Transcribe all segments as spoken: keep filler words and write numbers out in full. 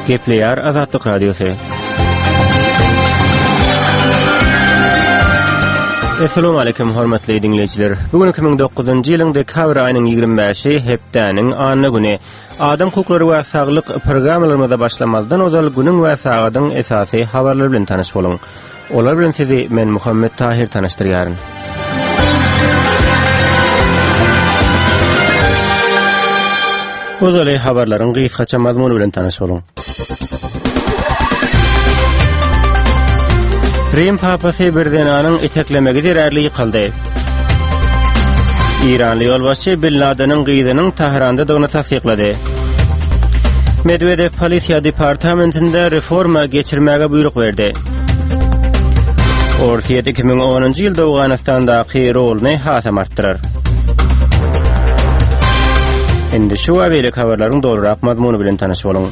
Gepleýär Azatlyk Radiosy. Assalamu alaykum hormatly dinleýjiler. Bu gün iki müň dokuzynjy ýylyň dekabr aýynyň ýigrimi bäşi hepdäniň anna güni. Adam hukuklary we saglyk programmalarymyza başlamazdan ozal günüň we sagadyň esasy habarlary bilen tanyş boluň. Olar bilen sizi men Muhammet Tahir tanyşdyrýaryn. Ozaly habarlaryň gysgaça mazmuny bilen tanyş boluň. Rim papasy bir zenanyň iteklemegi zerarly ýykyldy. Iranly ýolbaşçy Bin Ladeniň gyzynyň Tährandadygyny tassyklady. Medwedew polisiýa departamentinde reforma geçirmäge buýruk berdi. Orsýet iki müň onunjy ýylda Owganystandaky roluny hasam artdyrar. Indi şu we beýleki habarlaryň dolurak mazmuny bilen tanyş boluň.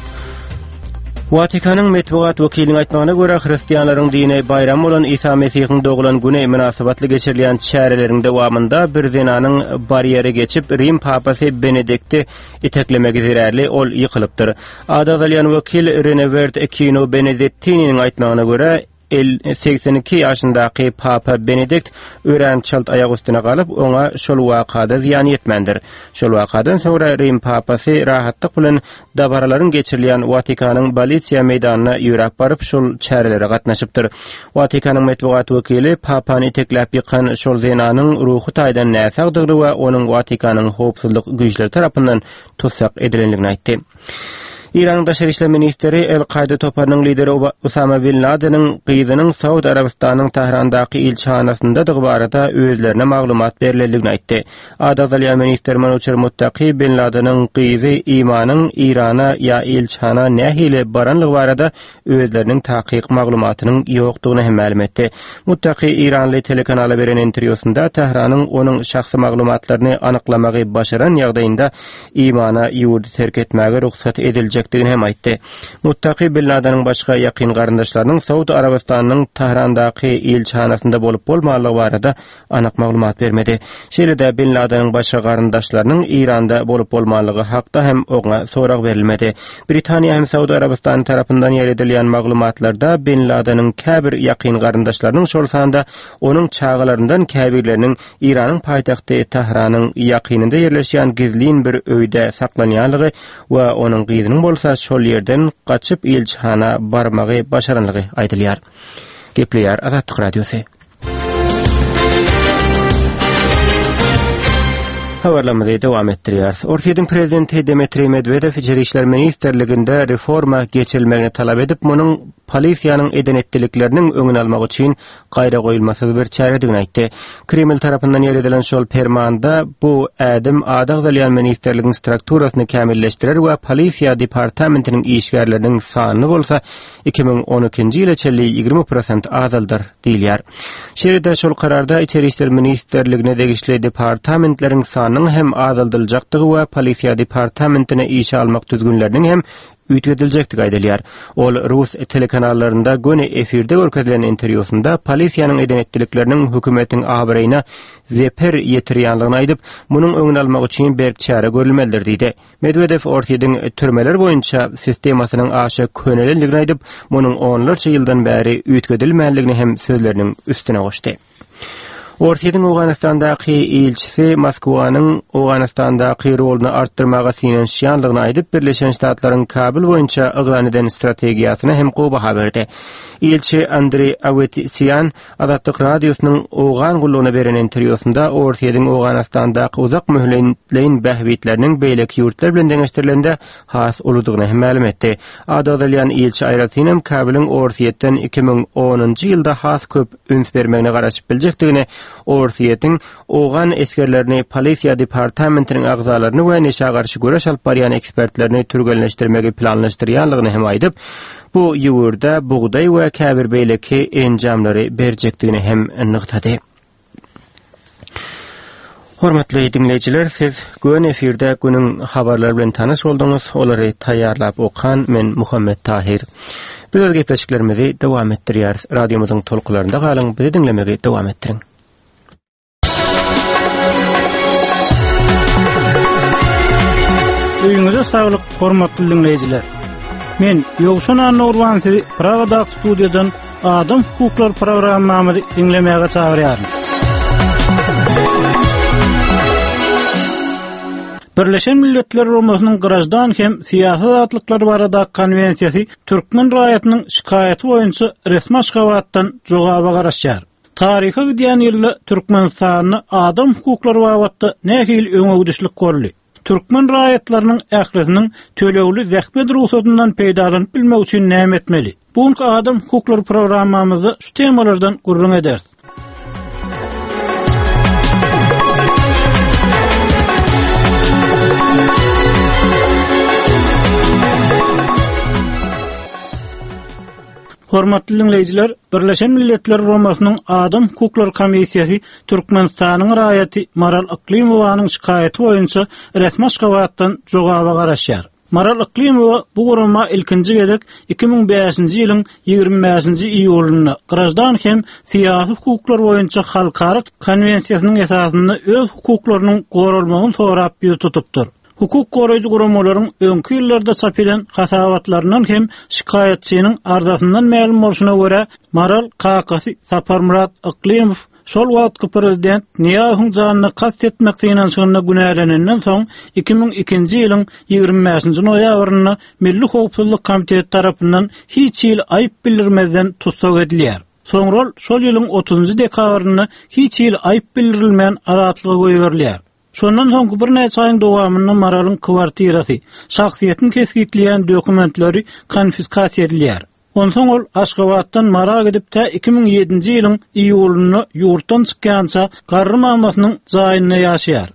Watikanyň metbugat wekiliniň aýtmagyna görä, hristianlaryň dini baýramy bolan Isa Mesihiň doglan güni mynasybatly geçirilýän çäreleriň dowamynda bir zenanyň barýeri geçip, Rim papasy Benedikti iteklemegi zerarly ol ýykylypdyr. Ady agzalýan wekil Renewert Kino Benedettininiň aýtmagyna görä, el segsen iki ýaşyndaky Papa Benedikt örän çalt aýak üstüne galyp, oňa şol wakada zyýan ýetmändir. Şol wakadan soňra Rim Papasy rahatlyk bilen dabaralaryň geçirilýän Watikanyň Bolisiýa meýdanyna ýöräp baryp, şol çärelere gatnaşypdyr. Watikanyň metbugat wekili Papany itekläp ýykan şol zenanyň ruhy taýdan näsagdygyny we onuň Watikanyň howpsuzlyk güýçleri tarapyndan tussag edilendigini aýtdy. Eýranyň daşary işler ministri El-Kaýda toparynyň lideri Usama Bin Ladeniň gyzynyň Saud Arabystanyň Tährandaky ilçihanasyndadygy barada özlerine maglumat berlendigini aýtdy. Ady agzalýan ministr Manuçer Muttaki Bin Ladeniň gyzy Imanyň Eýrana ýa ilçihana nähili baranlygy barada özleriniň takyk maglumatynyň ýokdugyny hem mälim etdi. Muttaki eýranly telekanala beren interwýusynda Tähranyň onuň şahsy maglumatlaryny anyklamagy başaran ýagdaýynda Imana ýurdy terk etmäge rugsat ediljekdigini hem aýtdy. Muttaki Bin Ladeniň başga ýakyn garyndaşlarynyň Saud Arabystanynyň Tährandaky ilçihanasynda bolup bolmanlygy barada anyk maglumat bermedi. Şeýle-de Bin Ladeniň başga garyndaşlarynyň Eýranda bolup bolmanlygy hakda hem oňa sorag berilmedi. Britaniýa hem Saud Arabystany tarapyndan ýaýradylýan maglumatlarda Bin Ladeniň käbir ýakyn garyndaşlarynyň, şol sanda onuň çagalaryndan käbirleriniň Eýranyň paýtagty Tähranyň ýakynynda ýerleşýän gizlin bir öýde saklanýanlygy we onuň gyzynyň bolsa şol ýerden gaçyp ilçihana barmagy başaranlygy aýdylýar. Gepleýär Azatlyk Radiosy. Habarlarymyzy dowam etdirýäris. Orsýetiň prezidenti Dmitriý Medwedew Içeri işler ministrliginde reforma geçirilmegini talap edip, munuň polisiýanyň eden-etdilikleriniň öňüni almak üçin gaýragoýulmasyz bir çäredigini aýtdy. Kreml tarapyndan ýeredilen şol permanda bu ädim ady agzalýan ministrligiň strukturasyny kämilleşdirer we polisiýa departamentiniň işgärleriniň sanyny bolsa iki müň on ikinji ýyla çenli ýigrimi prosent azaldar diýilýär. Şeýle-de şol kararda Içeri işler ministrligine degişli departamentleriň sanynyň hem azaldyljakdygy we polisiýa departamentine işe almak düzgünleriniň hem üýtgediljekdigi aýdylýar. Ol rus telekanallarynda göni efirde görkezilen interwýusynda polisiýanyň eden etdilikleriniň hökümetiň abraýyna zeper ýetirýänligini aýdyp, munuň öňüni almak üçin berk çäre görülmelidir diýdi. Medwedew Orsýetiň türmeler boýunça sistemasynyň aşa könelendigini aýdyp, munuň onlarça ýyldan bäri üýtgedilmänligini hem sözleriniň üstüne goşdy. Orsýetiň Owganystandaky ilçisi Moskwanyň Owganystandaky roluny artdyrmaga synanyşýanlygyny aýdyp, Birleşen Ştatlaryň Kabul boýunça yglan eden strategiýasyna hem gowy baha berdi. Ilçi Andreý Awetisian Azatlyk Radiosynyň Owgan gullugyna beren interwýusynda Orsýetiň Owganystandaky uzak möhletleýin bähbitleriniň beýleki ýurtlar bilen deňeşdirilende has uludygyny hem mälim etdi. Ady agzalýan ilçi aýratynam Kabulyň Orsýetden iki müň onunjy ýylda has köp üns bermegine garaşyp biljekdigini, Orsýetiň owgan esgerlerini, polisiýa departamentiniň agzalaryny we neşä garşy göreş alyp barýan ekspertlerini türgenleşdirmegi planlaşdyrýanlygyny hem aýdyp, bu ýurda bugdaý we käbir beýleki enjamlary berjekdigini hem nygtady. Hormatly dinleýjiler, siz göni efirde günüň habarlary bilen tanyş bolduňyz. Olary taýýarlap okan men Muhammet Tahir. Biz öz gepleşiklerimizi dowam etdirýäris. Radiomyzyň tolkunlarynda galyň, bizi diňlemegi dowam etdiriň. Öýüňize saglyk, hormatly dinleýjiler. Men Ýowşan Annagurban sizi Pragadaky studiýadan Adam hukuklary programmamyzy diňlemäge çagyrýaryn. Birleşen Milletler Guramasynyň Graždan hem syýasy azatlyklary barada konwensiýasy türkmen raýatynyň şikaýaty boýunça resmi Aşgabatdan jogaba garaşýar. Taryha gidýän ýylda Türkmenistanda adam hukuklary babatda nähili öňegidişlik boldy? Türkmen raýatlarynyň ählisiniň tölegli zähmet rugsatyndan peýdalanyp bilmek üçin näme etmeli? Bu adam hukuklary programmamyzda şu temalardan gürrüň ederis. Hormatly dinleýjiler, Birleşen Milletler Guramasynyň Adam hukuklary komissiýasy Türkmenistanyň raýaty Maral Yklimowanyň şikaýaty boýunça resmi Aşgabatdan jogaba garaşýar. Maral Yklimowa bu gurama ilkinji gezek iki müň bäşinji ýylyň ýigrimi bäşinji iýulynda graždan hem syýasy hukuklar boýunça halkara konwensiýasynyň esasynda öz hukuklarynyň goralmagyny sorap ýüz tutupdyr. Hukuk goraýjy guramalaryň öňki ýyllarda çap eden hasabatlaryndan hem şikaýatçynyň arzasyndan mälim bolşuna görä Maral kakasy Saparmyrat Yklimow şol wagtky prezident Nyýazowyň janyna kast etmek synanyşygynda günälenenden soň iki müň ikinji ýylyň ýigrimi bäşinji noýabrynda Milli Howpsuzlyk Komiteti tarapyndan hiç hili aýyp bildirmezden tussag edilýär. Soňra ol şol ýylyň otuzynjy dekabrynda hiç hili aýyp bildirilmän azatlyga goýberilýär. Şondan soňky birnäçe aýyň dowamynda Maralyň kwartirasy, şahsyýetini kesgitleýän dokumentleri konfiskasiýa edilýär. Onsoň ol Aşgabatdan Mara gidip tä iki müň ýedinji ýylyň iýulynda ýurtdan çykýança garry mamasynyň jaýynda ýaşaýar.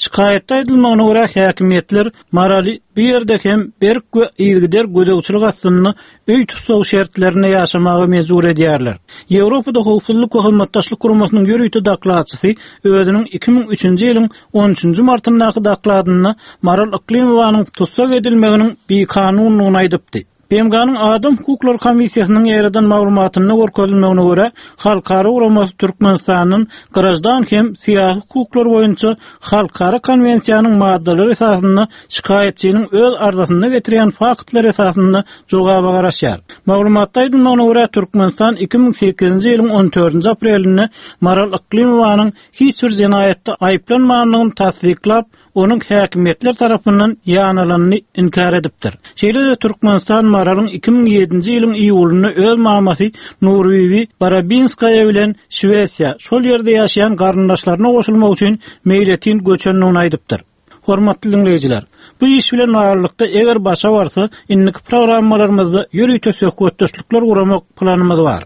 Şikaýatda aýdylmagyna görä häkimiýetler Maraly bu ýerde hem berk we yzygider gözegçilik astynda öý tussag şertlerinde ýaşamaga mejbur edýärler. Ýewropada Howpsuzlyk we Hyzmatdaşlyk Guramasynyň ýörite dokladçysy özüniň iki müň üçünji ýylyň on üçünji martyndaky dokladynda Maral Yklimowanyň tussag edilmeginiň bikanunlygyny aýdypdy. B M G-nyň Adam hukuklary komissiýasynyň ýaradan maglumatynda görkezilmegine görä, halkara guramasy Türkmenistanyň graždan hem syýasy hukuklar boýunça halkara konwensiýanyň maddalary esasynda şikaýatçynyň öz arzasynda getirýän faktlar esasynda jogaba garaşýar. Maglumatda aýdylmagyna görä, Türkmenistan iki müň sekizinji ýylyň on dördünji aprelinde Maral Yklimowanyň hiç bir jenaýatda aýyplanmandygyny tassyklap, onuň häkimiýetler tarapyndan ýanalanyny inkär edipdir. Şeýle-de Türkmenistan Maralyň iki müň ýedinji ýylyň iýulynda öz mamasy Nurbibi Barabinskaya bilen Şwesiýa, şol ýerde ýaşaýan garyndaşlaryna goşulmak üçin meýletin göçendigini aýdypdyr. Hormatly dinleýjiler, bu iş bilen baglylykda eger başa barsa, indiki programmalarymyzda ýörite söhbetdeşlikler guramak planymyz bar.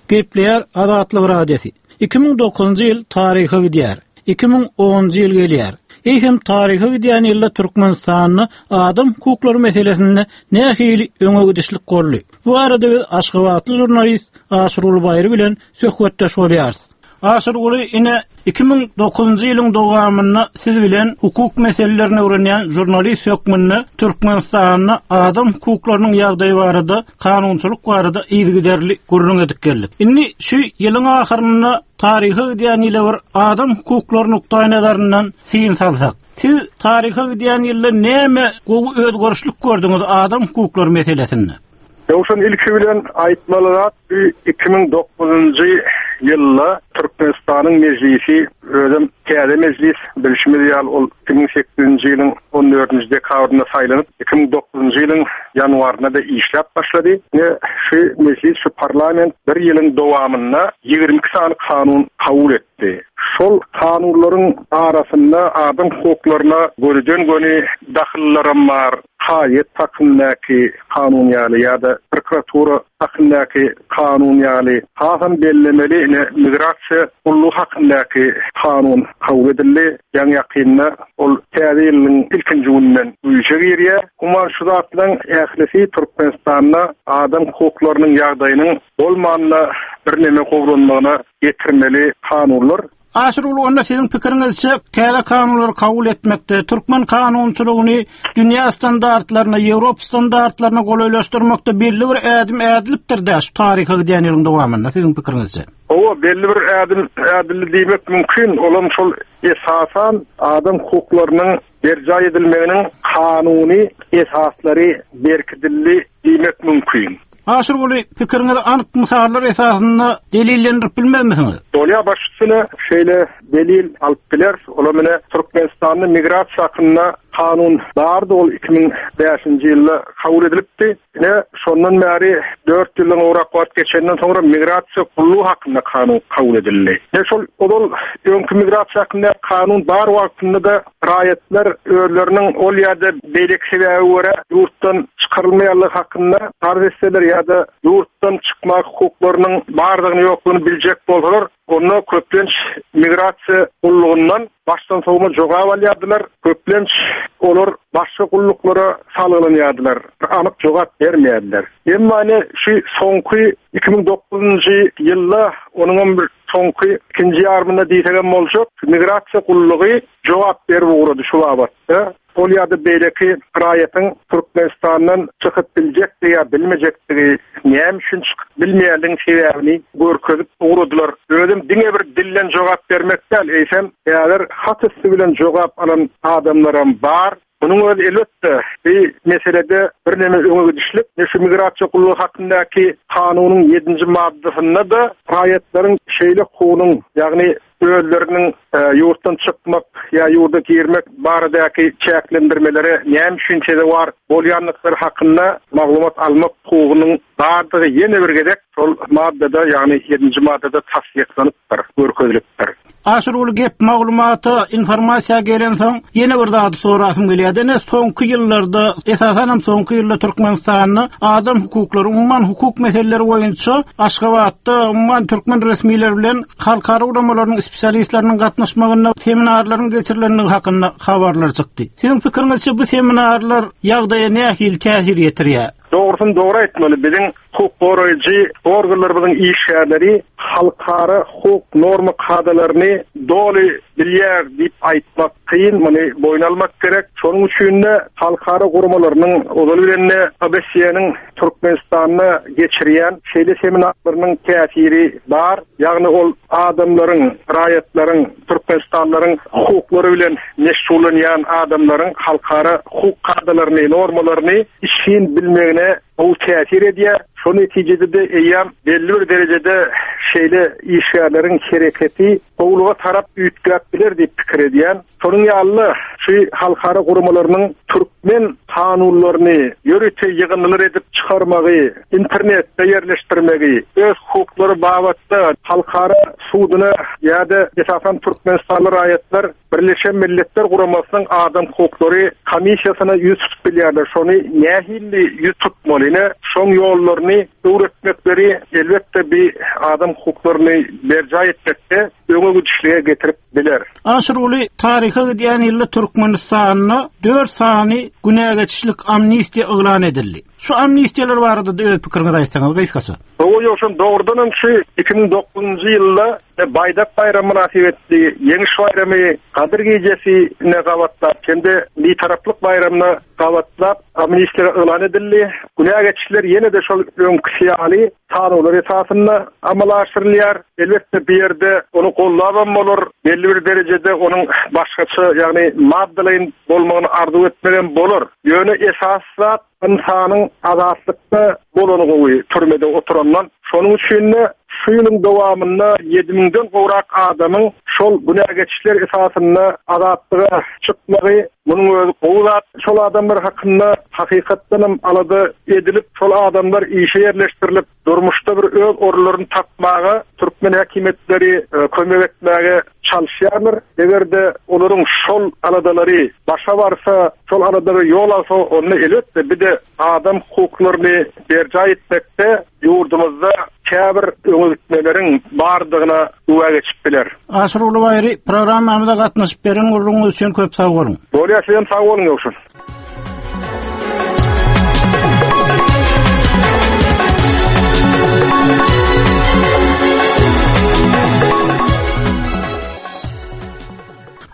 Gepleýär Azatlyk Radiosy. Iki müň dokuzynjy ýyl taryha gidýär. Iki müň onunjy ýyl gelýär. Eý hem taryha gidýän ýylda Türkmenistanda adam hukuklary meselesinde nähili öňe gidişlik boldy? Bu arada biz Aşgabatly žurnalist Aşyrguly Baýry bilen söhbetdeş bolýarys. Aşyrguly, ine iki müň dokuzynjy ýylyň dowamynda siz bilen hukuk meselelerini öwrenýän žurnalist hökmünde Türkmenistanda adam hukuklarynyň ýagdaýy barada, kanunçylyk barada yzygiderli gürrüň edip geldik. Indi şu ýylyň ahyrynda taryha gidýän ýyla bir adam hukuklary nukdaýnazaryndan syn salsak. Siz taryha gidýän ýylda näme gowy özgerişlik gördüňiz adam hukuklary meselesinde? Ýowşan ilki bilen aýtmaly zat, bu iki müň dokuzynjy ýylda Türkmenistanyň mejlisi, özem täze mejlis, bilşimiz ýaly ol iki müň sekizinji ýylyň on dördünji dekabrynda saýlanyp, iki müň dokuzynjy ýylyň ýanwarynda da işläp başlady. Ne şu mejlis, şu parlament bir ýylyň dowamynda ýigrimi iki sany kanun kabul etdi. Şol kanunlaryň arasynda adam hukuklaryna gönüden-göni dahyllaram bar. Haýyt hakyndaky kanun ýaly ýa-da prokuratura hakyndaky kanun ýaly, hasam bellemeli ine migrasiýa gullugy hakyndaky kanun kabul edildi. Ýaňy ýakynda ol täze ýylyň ilkinji gününden güýje girýär. Umuman şu zatlaryň ählisi Türkmenistanda adam hukuklarynyň ýagdaýynyň bolmanda birneme gowulanmagyna getirmeli kanunlar. Aşyrguly onda siziň pikiriňizçe täze kanunlary kabul etmekde türkmen kanunçylygyny dünýä standartlaryna, Ýewropa standartlaryna golaýlaşdyrmakda belli bir ädim ädilipdir da şu taryha gidýän ýylyň dowamynda siziň pikiriňizçe. Owa belli bir ädim ädildi diýmek mümkin. Olam şol esasan adam hukuklarynyň berjaý edilmeginiň kanuny esaslary berkidildi diýmek mümkin. Aşyrguly pikiriňizi anyk mysallar esasynda delillendirip bilmezmisiňiz? Bolýa baş üstüne şeýle delil alyp biler. Ola mene Türkmenistanda migrasiýa hakynda kanun bardy, ol iki müň bäşinji ýylda kabul edilipdi. Ine şondan bäri dört ýyldan gowrak wagt geçenden soňra migrasiýa gullugy hakynda kanun kabul edildi. Ine şol ozal öňki migrasiýa hakynda kanun bar wagtynda da raýatlar özleriniň ol ýa-da beýleki sebäbe görä ýurtdan çykarylmaýanlygy hakynda arz etseler ýa-da ýurtdan çykmak hukuklarynyň bardygyny ýoklugyny biljek bolsalar, onda köplenç migrasiýa gullugyndan başdan sowma jogap alýardylar. Köplenç olar başga gulluklara salgylanýardylar. Anyk jogap bermeýärdiler. Emma ine şu soňky iki müň dokuzynjy ýylda onuň hem bir soňky ikinji ýarymynda diýsegem boljak, migrasiýa gullugy jogap berip ugrady şu babatda. Ol ýa-da beýleki raýatyň Türkmenistandan çykyp biljekdigi ýa bilmejekdigi, näme üçin çykyp bilmeýänligiň sebäbini görkezip ugradylar. Özüm diňe bir dilden jogap bermek däl, eýsem, häzir hat üstü bilen jogap alan adamlaram bar. Munuň özi elbetde bir meselede birneme öňe gidişlik. Şu migrasiýa gullugy hakyndaky kanunyň ýedinji maddasynda da raýatlaryň şeýle hukugynyň, ýagny özleriniň, e, ýurtdan çykmak ýa ýurda girmek baradaky çäklendirmelere näme üçin sezewar bolýandyklary hakynda maglumat almak hukugynyň bardygy ýene bir gezek şol maddada, ýagny ýedinji maddada tassyklanypdyr, görkezilipdir. Aşyrguly gep maglumata, informasiýa gelen soň ýene bir zady sorasym gelýär. Ine soňky ýyllarda, esasan hem soňky ýylda Türkmenistanda adam hukuklary, umuman hukuk meseleleri boýunça Aşgabatda umuman türkmen resmileri bilen halkara guramalarynyň spesialistleriniň gatnaşmagynda seminarlaryň geçirilendigi hakynda habarlar çykdy. Siziň pikiriňizçe bu seminarlar ýagdaýa nähili täsir ýetirýär? Dogrusyny dogry aýtmaly, biziň hukuk goraýjy organlarymyzyň işgärleri halkara hukuk norma kadalaryny doly bilýär diýip aýtmak kyn, muny boýun almak gerek. Şonuň üçin de halkara guramalarynyň ozal bilen de A B S-niň Türkmenistanda geçirýän şeýle seminarlarynyň täsiri bar. Ýagny ol adamlaryň, raýatlaryň, Türkmenistanlaryň hukuklary bilen meşgullanýan adamlaryň halkara hukuk kadalaryny, normalaryny işin bilmegine gowy täsir edýär. Şo netijede de eýýäm belli bir derejede şeýle işgärleriň hereketi gowluga tarap üýtgäp biler diýip pikir edýän. Şonuň ýaly şu halkara guramalarynyň türkmen kanunlaryny ýörite ýygyndylar edip çykarmagy, internetde ýerleşdirmegi, öz hukuklary babatda halkara suduna ýa-da esasan Türkmenistanly raýatlar Birleşen Milletler Guramasynyň Adam Hukuklary Komissiýasyna ýüz tutup bilýärler. Şony nähili ýüz tutmaly, ine, şoň ýollaryny öwretmekleri elbetde bir adam hukuklaryny berjaý etmekde öňe gidişlige getirip biler. Aşyrguly taryha gidýän ýylda Türkmenistanda dört sany günä geçişlik amnistiýa yglan edildi. Şu amnistiýalar barada da öz pikiriňizi aýtsaňyz gysgaça. Owa ýoşan dogrudan hem şu iki müň dokuzynjy ýylda Baýdak baýramy mynasybetli Ýeňiş baýramy Gadyr gijesi-ne gabatlap hem-de Bitaraplyk baýramyna gabatlap amnistiýa yglan edildi. Günä geçişler ýene-de şol öňküsi ýaly kanunlar esasynda amala aşyrylýar. Elbetde bir ýerde ony gollabam bolar, belli bir derejede onuň başgaça, ýagny maddalaýyn bolmagyny arzuw etmegem bolar. Ýöne esas zat insanyň azatlykda bolany gowy türmede oturandan. Şonuň üçin de şu ýylyň dowamynda ýedi müňden gowrak adamyň şol günä geçişler esasynda azatlyga çykmagy munuň özi gowy zat. Şol adamlar hakynda hakykatdan hem alada edilip, şol adamlar işe ýerleşdirilip, durmuşda bir öz orunlaryny tapmaga türkmen häkimiýetleri, e, kömek etmäge çalışýarlar. Eger-de olaryň şol aladalary başa barsa, şol aladalara ýol alsa, onda elbetde bir de adam hukuklaryny berjaý etmekde ýurdumyzda käbir öňe gitmeleriň bardygyna güwä geçip biler. Aşyrguly Baýry, programmamyza gatnaşyp beren gurlugyňyz üçin köp sag boluň. Bolýar, sizem sag boluň ýoksun.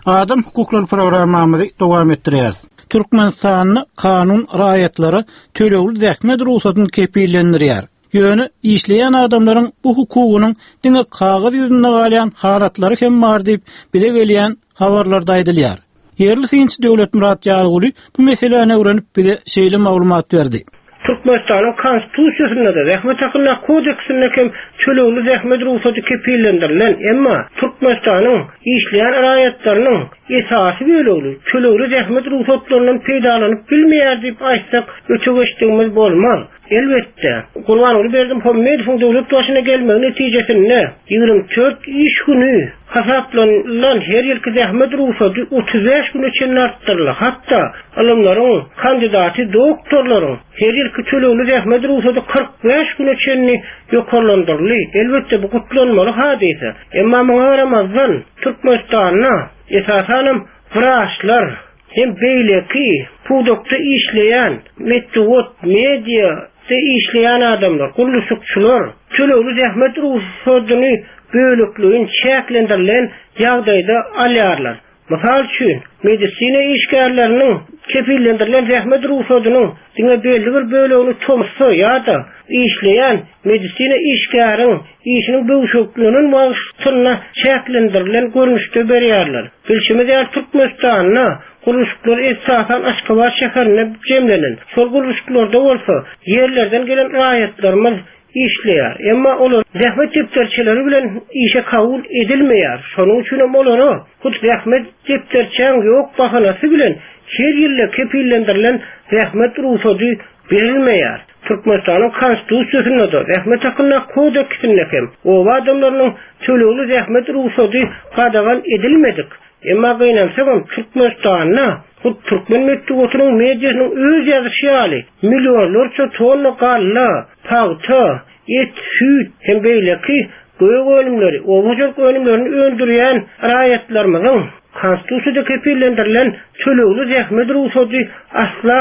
Adam hukuklary programmamyzy dowam etdirýäris. Türkmenistanda kanun raýatlara tölegli zähmet rugsadyny kepillendirýär. Ýöne işleýän adamlaryň bu hukugynyň diňe kagyz ýüzünde galýan halatlary hem bar diýip bize gelýän habarlarda aýdylýar. Ýerli synçy Döwletmyrat Ýazguly bu meseläni öwrenip bize şeýle maglumat berdi. Türkmenistanyň konstitusiýasynda da zähmet hakynda kodeksinde hem tölegli zähmet rugsady kepillendirilen, emma Türkmenistanyň işleýän raýatlarynyň esasy bölegi tölegli zähmet rugsatlaryndan peýdalanyp bilmeýär diýip aýtsak, öte geçdigimiz bolmaz. Elbetde, Gurbanguly Berdimuhamedowyň döwlet başyna gelmegi netijesinde ýigrimi dört iş günü hasaplanylan her ýylky zähmet rugsady otuz bäş güne çenli artdyryldy. Hatda alymlaryň, kandidaty doktorlaryň her ýylky tölegli zähmet rugsady kyrk bäş güne çenli ýokarlandyryldy. Elbetde bu gutlanmaly hadysa. Emma muňa garamazdan Türkmenistanda esasanam wraçlar hem beýleki pudakda işleýän, metbugat, media işleýän adamlar, gurluşykçylar tölegli zähmet rugsadyny bölekleýin çäklendirilen ýagdaýda alýarlar. Mysal üçin, medisina işgärleriniň kepillendirilen zähmet rugsadynyň diňe belli bir bölegini tomsa ýa-da işleýän medisina işgäriň işiniň böwşeklenen wagtynda çäklendirilen görnüşde berýärler. Bilşimiz ýaly Türkmenistanda gurluşyklar esasan Aşgabat şäherinde jemlenen. Şol gurluşyklarda bolsa ýerlerden gelen raýatlarymyz işleýär. Emma olar zähmet depderçeleri bilen işe kabul edilmeýär. Şonuň üçin hem olara hut zähmet depderçäň ýok bahanasy bilen her ýylda kepillendirilen zähmet rugsady berilmeýär. Türkmenistanyň konstitusiýasynda da zähmet hakynda kodeksinde hem oba adamlarynyň tölegli zähmet rugsady gadagan edilmedik. Emma gynansagam Türkmenistanda hut türkmen metbugatynyň mediasynyň öz ýazyşy ýaly millionlarça tonna galla, pagta, et, süýt hem beýleki gök önümleri, oba hojalyk önümlerini öndürýän raýatlarymyzyň konstitusiýada kepillendirilen tölegli zähmet rugsady asla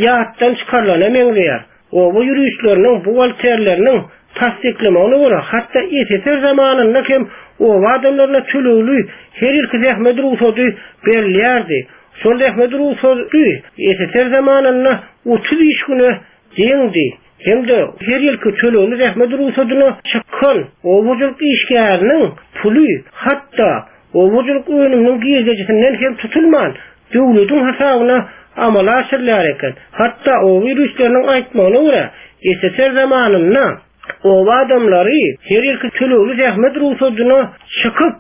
ýatdan çykarylana meňzeýär. Oba ýürüşleriniň, buhgalterleriniň tassyklamagyna görä, hatda S S R zamanynda hem oba adamlaryna tölegli her ýylky zähmet rugsady berilýärdi. Şol zähmet rugsady S S R zamanynda otuz iş güne deňdi. Hem de her ýylky tölegli zähmet rugsadyna çykan oba hojalyk işgäriniň puly hatda oba hojalyk önüminiň girdejisinden hem tutulman, döwletiň hasabyna amala aşyrylýar eken. Hatda oba ýürüşleriniň aýtmagyna görä, S S R zamanynda oba adamlary her ýylky tölegli zähmet rugsadyna çykyp,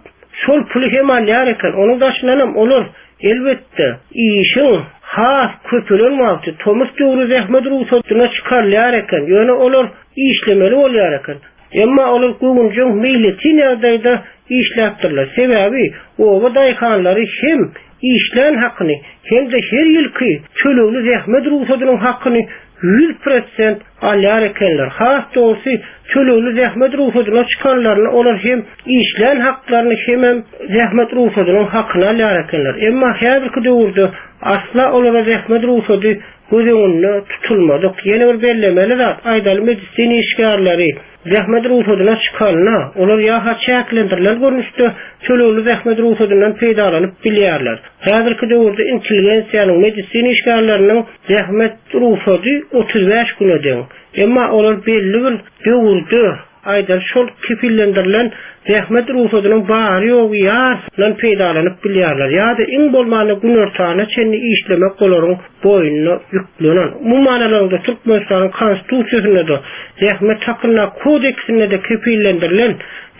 şol puly hem alýar eken. Onuň daşyndan hem olar elbetde işiň has köpelen wagty tomus döwri zähmet rugsadyna çykarylýar eken. Ýöne olar işlemeli bolýar eken. Emma olar göwünjeň meýletin ýagdaýda işläpdirler. Sebäbi oba daýhanlary hem işlän hakyny hem de her ýylky tölegli zähmet rugsadynyň hakyny ýüz prosent alýar ekenler. Has dogrusu tölegli zähmet rugsadyna çykanlaryny olar hem işlän haklaryny hem hem zähmet rugsadynyň hakyny alýar ekenler. Emma häzirki döwürde asla olara zähmet rugsady göz öňünde tutulmadyk. Ýene bir bellemeli zat, aýdaly medisina işgärleri zähmet rugsadyna çykanyna, olar ýa-ha çäklendirilen görnüşde tölegli zähmet rugsadyndan peýdalanyp bilýärler. Häzirki döwürde intelligensiýanyň medisina işgärleriniň zähmet rugsady otuz bäş güne deň. Emma olar belli bir döwürde aýdan şol kepillendirilen zähmet rugsadynyň bary ýogy ýarysyndan peýdalanyp bilýärler. Ýa-da iň bolmanda günortana çenli işlemek olaryň boýnuna ýüklenen. Umuman alanda Türkmenistanyň konstitusiýasynda da zähmet hakynda kodeksinde de kepillendirilen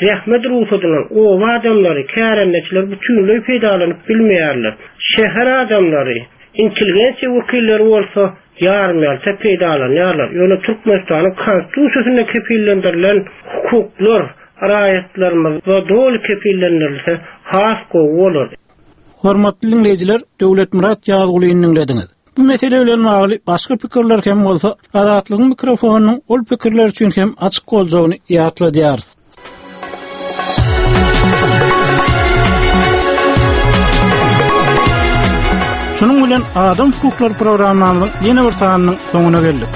zähmet rugsadynyň oba adamlary, kärendeçiler bütünleý peýdalanyp bilmeýärler. Şäher adamlary, intelligensiýa wekilleri bolsa ýarym ýalta peýdalanýarlar. Ýöne Türkmenistanyň konstitusiýasynda kepillendirilen hukuklar raýatlarymyzda doly kepillendirilse has gowy bolar. Hormatly dinleýjiler, Döwletmyrat Ýazgulyny dinlediňiz. Bu mesele bilen bagly başga pikirler hem bolsa, Azatlygyň mikrofonynyň ol pikirler üçin hem açyk boljagyny ýatladýarys. Şunuň bilen Adam hukuklary programmamyzyň ýene bir sanynyň soňuna geldik.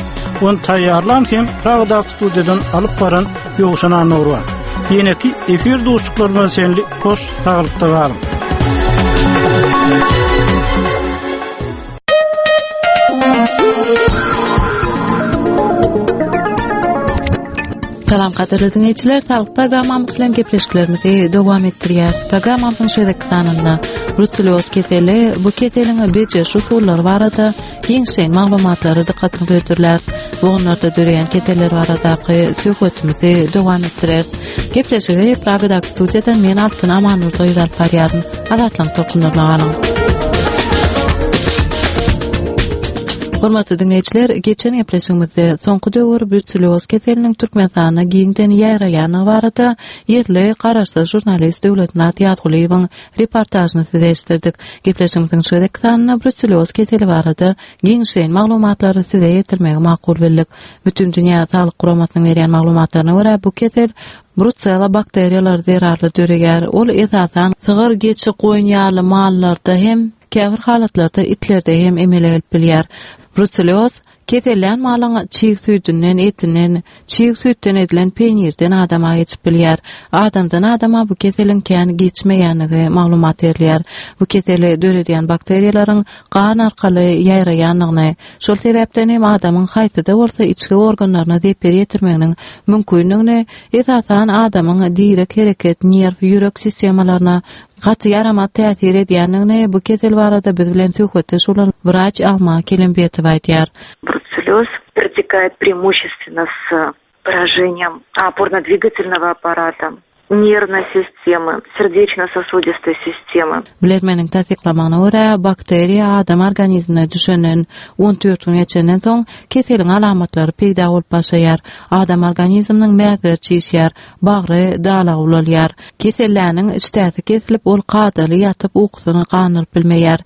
Ony taýýarlan hem Pragadaky studiýadan alyp baran Ýowşan Annurwan. Ýeneki efir duşuşyklarymyza çenli hoş saglykda galyň. Salam gadyrly dinleýjiler, saglyk programmamyz bilen gepleşiklerimizi dowam etdirýäris. Programmamyzyň şeýle sanynda bruselloz keseli, bu keseliň bejeriş usullary barada giňişleýin maglumatlary dykgatyňyza hödürlär. Bogunlarda döreýän keseller baradaky söhbetimizi dowam etdireris. Gepleşigi Pragadaky studiýadan men Altyn Amanurdy alyp barýaryn. Azatlyk tolkunlaryna galyň. Hormatly dinleýjiler, geçen gepleşigimizde soňky döwür bruselloz keseliniň Türkmenistanda giňden ýaýraýanlygy barada ýerli garaşsyz žurnalist Döwletmyrat Ýazgulyýewiň reportažyny size eşitdirdik. Gepleşigimiziň şu gezekki sanynda bruselloz keseli barada giňişleýin maglumatlary size ýetirmegi makul bildik. Bütün Dünýä Saglyk Guramasynyň berýän maglumatlaryna görä bu kesel Brucella bakteriýalary zerarly döreýär. Ol esasan sygyr, geçi, goýun ýaly mallarda hem käbir halatlarda itlerde hem emele gelip bilýär. Brucelloz kesellän malyň çig süýdünden, etinden, çig süýtden edilen peýnirden adama geçip bilýär. Adamdan adama bu keseliň kän geçmeýänligi maglumat berilýär. Bu keseli döredýän bakteriýalaryň gan arkaly ýaýraýanlygyny, şol sebäpden hem adamyň haýsy-da bolsa içki organlaryna zeper ýetirmeginiň mümkinligini, esasan adamyň direk hereket, nerw, ýürek sistemalaryna gaty ýaramaz täsir edýänligini bu kesel barada biz bilen söhbetdeş bolan wraç Alma Kelimbetowa aýdýar. Бруцеллез протекает преимущественно с поражением опорно-двигательного аппарата, нервной системы, сердечно-сосудистой системы. Bilermeniň tassyklamagyna görä, bakteriýa adam organizmine düşenden on dört gün geçenden soň keseliň alamatlary peýda bolup başlaýar. Adam organizminiň mäzleri çişýär, bagry dalagy ulalýar. Keselläniň içdäsi kesilip, ol kadaly ýatyp ukusyny gandyryp bilmeýär.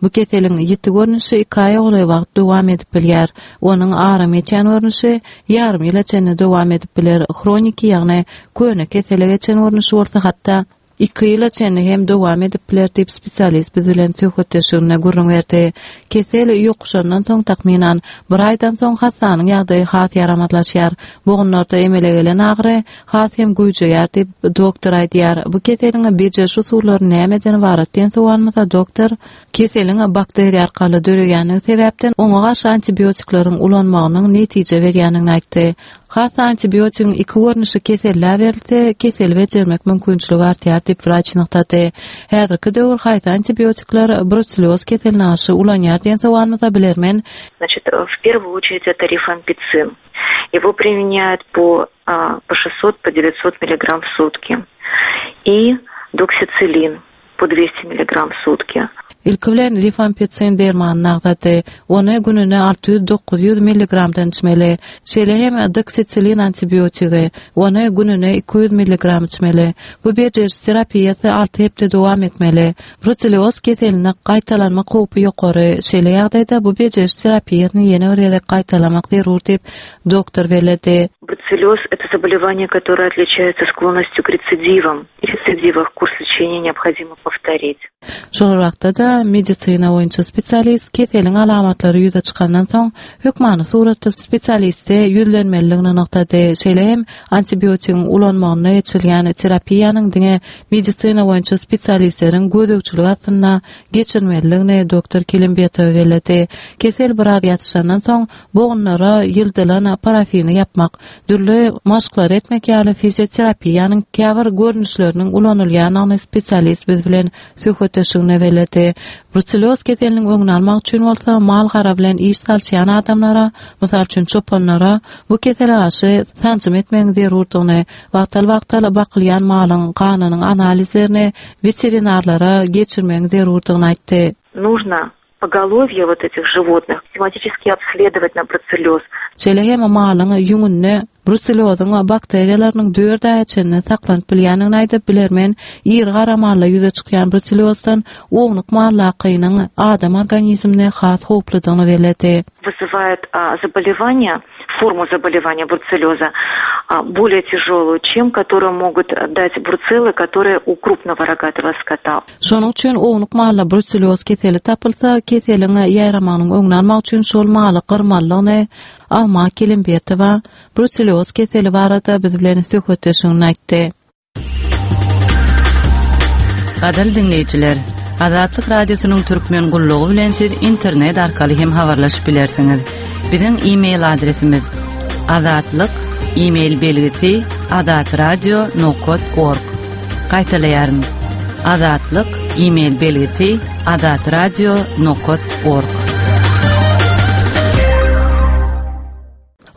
Bu keseliň ýiti görnüşi iki aýa golaý wagt dowam edip bilýär. Onuň aram geçen görnüşi ýarym ýyla çenli dowam edip biler. Hroniki, ýagny köne kesele geçen görnüşi bolsa hatda iki ýyla çenli hem dowam edip biler diýip spesialist biz bilen söhbetdeşliginde gürrüň berdi. Kesel ýokuşandan soň takmynan bir aýdan soň hassanyň ýagdaýy has ýaramazlaşýar. Bogunlarda emele gelen agyry has hem güýjeýär diýip doktor aýdýar. Bu keseliň bejeriş usullary nämeden ybarat diýen sowalymyza doktor keseliň bakteriýa arkaly döreýänligi sebäpden oňa garşy antibiotikleriň ulanmagynyň netije berýändigini aýtdy. Hassa antibiotigiň iki görnüşi kesellä berilse, keseli bejermek mümkinçiligi artýar diýip wraç nygtady. Häzirki döwür haýsy antibiotikler bruselloz keseline garşy ulanýar diýen sowalymyza bilermen. Значит, в первую очередь это рифампицин. Его применяют по, а, по шестьсот, по девятьсот миллиграмм в сутки. И доксицилин по двести миллиграмм в сутки. Ilki bilen rifampicin dermanyny agzady. Ony gününe alty ýüz dokuz ýüz milligramdan içmeli. Şeýle hem doksitsilin antibiotigi. Ony gününe iki ýüz milligram içmeli. Bu bejeriş terapiýasy alty hepde dowam etmeli. Bruselloz keseline gaýtalanma howpy ýokary. Şeýle ýagdaýda bu bejeriş terapiýasyny ýene bir gezek gaýtalamak zerur diýip doktor belledi. Бруцеллез – это заболевание, которое отличается склонностью к рецидивам. При рецидивах курс лечения необходимо повторить. Şol wagtda da medisina boýunça spesialist keseliň alamatlary ýüze çykandan soň hökmany suratda spesialiste ýüzlenmeliligini nygtady. Şeýle hem antibiotigiň ulanmagyna geçirilýän terapiýanyň diňe medisina boýunça spesialistleriň gözegçiligi astynda geçirmeliligini doktor Kelimbetowa belledi. Kesel biraz ýatyşandan soň bogunlara ýyldylan parafini ýapmak, dürli maşklar etmek ýaly fizioterapiýanyň käbir görnüşleriniň ulanylýanyny spesialist biz bilen söhbetdeşligine belledi. Bruselloz keseliniň öňüni almak üçin bolsa mal gara bilen iş salçaýan adamlara, mysal üçin çopanlara bu kesele garşy sanjym etmegiň zerurdygyny, wagtal-wagtal bakylýan malyň ganynyň analizlerini veterinarlara geçirmegiň zerurdygyny aýtdy. Нужно поголовье вот этих животных систематически обследовать на бруцеллез. Şeýle hem malyň ýüňünde brusellozyň bakteriýalarynyň dört aýa çenli saklanyp bilýändigini aýdyp bilermen, iri gara malla ýüze çykýan brucellozdan ownuk mallakynyň adam organizmine has howpludygyny belledi. Вызывает, а, заболевание, форму заболевания бруцеллеза, а, более тяжелую, чем которую могут дать бруцеллы, которые у крупного рогатого скота. Şonuň üçin ownuk malla brucelloz keseli tapylsa, keseliň ýaýramagynyň öňüni almak üçin şol maly gyrmalygyny Alma Kelimbetowa brucelloz keseli barada biz bilen söhbetdeşligini aýtdy. Gadyrly dinleýjiler, Azatlyk Radiosynyň Türkmen gullugy bilen siz internet arkaly hem habarlaşyp bilersiňiz. Biziň e-mail adresimiz azatlyk e-mail belgisi azatradio nokat org. Gaýtalaýaryn. Azatlyk e-mail belgisi azatradio nokat org.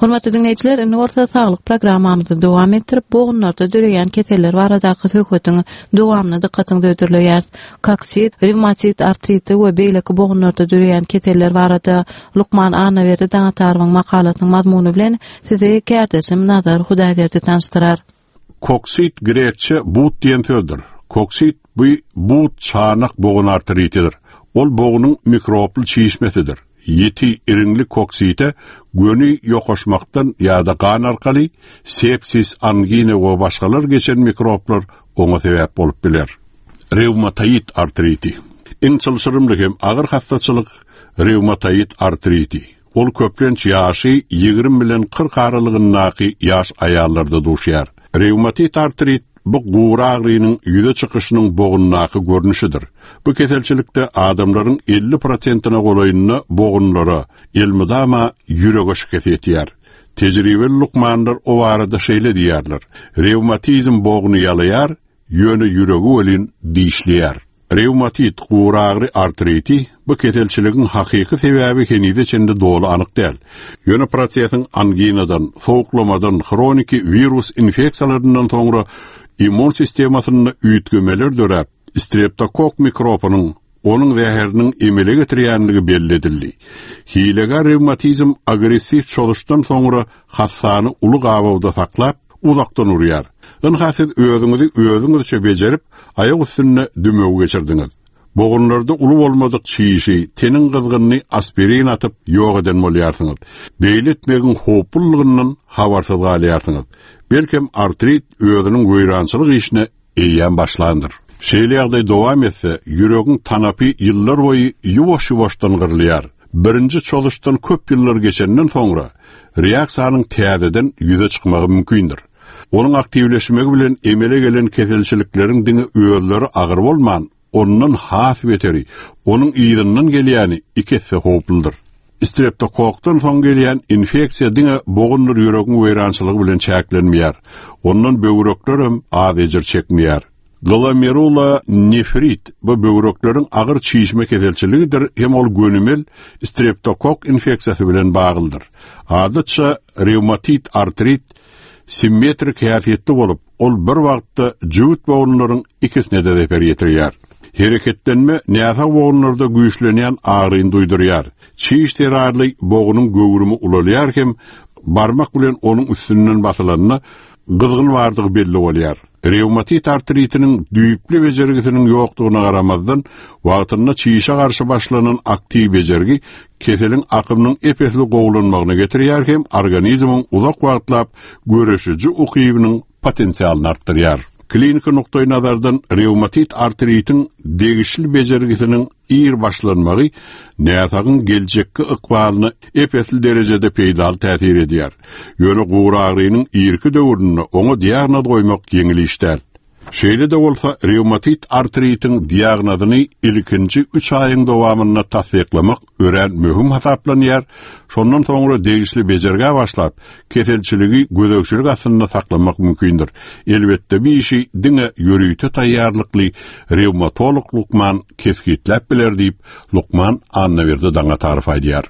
Hormatly dinleýjiler, indi bolsa saglyk programmamyzy dowam etdirip, bogunlarda döreýän keseller baradaky söhbetiň dowamyny dykgatyňyza hödürleýäris. Koksit, revmatit artriti we beýleki bogunlarda döreýän keseller barada lukman Annaberdi Daňatarowyň makalasynyň mazmuny bilen sizi kärdeşim Nazar Hudaýberdi tanyşdyrar. Koksit grekçe but diýen sözdür. Koksit bu but çanak bogun artritidir. Ol bogunyň mikrobly çişmesidir. Ýeti iriňli koksite göni ýokaşmakdan ýa-da gan arkaly sepsis, angina we başgalar geçen mikroblar oňa sebäp bolup biler. Revmatoid artriti. Iň çylşyrymly hem agyr hastaçylyk revmatoid artriti. Ol köplenç ýaşy ýigrimi bilen kyrk aralygyndaky ýaş aýallarda duşýar. Revmatoid artrit bu gury agrynyň ýüze çykyşynyň bogundaky görnüşidir. Bu keselçilikde adamlaryň elli prosentine golaýynda bogunlara elmydama ýürege şikes ýetýär. Tejribeli lukmanlar o barada şeýle diýýärler. Revmatizm bogny ýalaýar, ýöne ýüregi welin dişleýär. Revmatit gury agry artriti bu keselçiligiň hakyky sebäbi henize çenli doly anyk däl. Ýöne prosesiň anginadan, sowuklamadan, hroniki wirus infeksiýalaryndan soňra immun sistemasynda üýtgemeler döräp, streptokok mikrobының onuň zäheriniň emele getirýänligi belli edildi. Hilegär revmatizm agressiw çozuşdan soňra hassany uly gabawda saklap, uzakdan urýar. Ynha siz özüňizi özüňizçe bejerip, aýak üstünde dümew geçirdiňiz. Bogunlarda uly bolmadyk çişi, teniň gyzgynyny aspirin atyp ýok eden bolýarsyňyz. Beýle etmegiň howplulygyndan habarsyz galýarsyňyz. Belkem artrit özüniň weýrançylyk işine eýýäm başlandyr. Şeýle ýagdaý dowam etse, ýüregiň tanapy ýyllar boýy ýuwaş-ýuwaşdan gyrylýar. Birinji çozuşdan köp ýyllar geçenden soňra reaksiýanyň täzeden ýüze çykmagy mümkindir. Onuň aktiwleşmegi bilen emele gelen keselçilikleriň diňe özleri agyr bolman, ondan has beteri, onuň yzyndan gelýäni iki esse howpludyr. Streptokokdan soň gelýän infeksiýa diňe bogundyr ýüregiň weýrançylygy bilen çäklenmeýär. Ondan böwrekler hem az ejir çekmeýär. Glomerula nefrit bu böwrekleriň agyr çişme keselçiligidir, hem ol gönümel streptokok infeksiýasy bilen baglydyr. Adatça revmatit artrit simmetrik häsiýetli bolup, ol bir wagtda jübüt bogunlaryň ikisine de zeper ýetirýär. Hereketlenme näsag bogunlarda güýçlenýän agryny duýdurýar. Çiş zerarly bogunyň göwrümi ulalýar hem barmak bilen onuň üstünden basylanda gyzgyn bardygy belli bolýar. Revmatit artritiniň düýpli bejergisiniň ýokdugyna garamazdan, wagtynda çişe garşy başlanan aktiw bejergi keseliň akymynyň epesli gowulanmagyna getirýär hem organizmiň uzak wagtlap göreşiji ukybynyň potensialyny artdyrýar. Kliniki nukdaý nazardan revmatit artritiň degişli bejergisiniň ir başlanmagy näsagyň geljekki ykbalyna epesli derejede peýdaly täsir edýär. Ýöne gury agrynyň irki döwründe oňa diagnoz goýmak ýeňil iş däl. Şeýle de bolsa revmatit artritiň diagnozyny ilkinji üç aýyň dowamynda tassyklamak örän möhüm hasaplanýar. Şondan soňra degişli bejergä başlap, keselçiligi gözegçilik astynda saklamak mümkindir. Elbetde bir işi diňe ýörite taýýarlykly revmatolog lukman kesgitläp biler diýip, lukman Annaberdi Daňatarow aýdýar.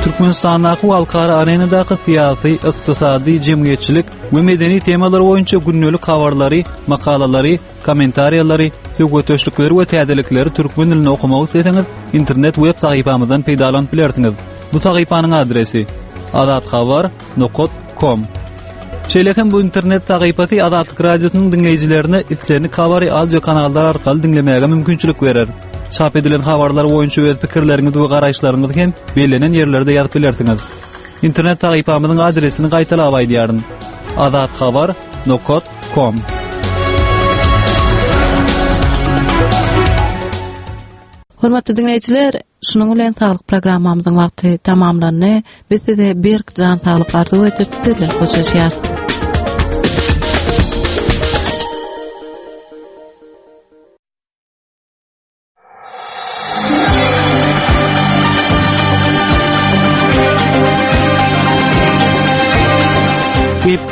Türkmenistandaky halkara arenadaky syýasy, ykdysady, jemgyýetçilik we medeni temalar boýunça gündelik habarlary, makalalary, kommentariýalary, söhbetdeşlikleri we täzelikleri türkmen dilinde okumak isleseňiz, internet web sahypamyzdan peýdalanyp bilersiňiz. Bu sahypanyň adresi azathabar nokta com. Şeýle hem bu internet sahypasy Azatlyk Radiosynyň diňleýjilerine islendik habary audio kanallar arkaly diňlemäge mümkinçilik berer. Çap edilen habarlar boýunça öz pikirleriňizi we garaýyşlaryňyzy hem bellenen ýerlerde ýazyp bilersiňiz. Internet sahypamyzyň adresini gaýtalap aýdýaryn. azathabar nokta com. Hormatly dinleýjiler, şunuň bilen saglyk programmamyzyň wagty tamamlandy. Biz size berk jan saglyk arzuw edip, sizlerle hoşlaşýarys.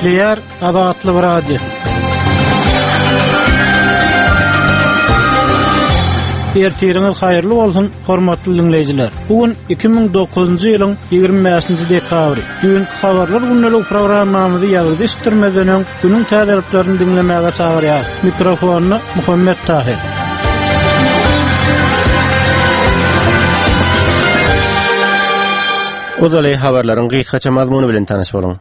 Gepleýär Azatlyk Radiosy. Ertiriňiz haýyrly bolsun, hormatly dinleýjiler. Bu gün iki müň dokuzynjy ýylyň ýigrimi bäşinji dekabry. Düýnki habarlar gündelik programmamyzy ýazyp eşitdirmeden öň günüň täzeliklerini diňlemäge çagyrýar. Mikrofonda Muhammet Tahir. Uzaly habarlaryň gysgaça mazmuny bilen tanyş boluň.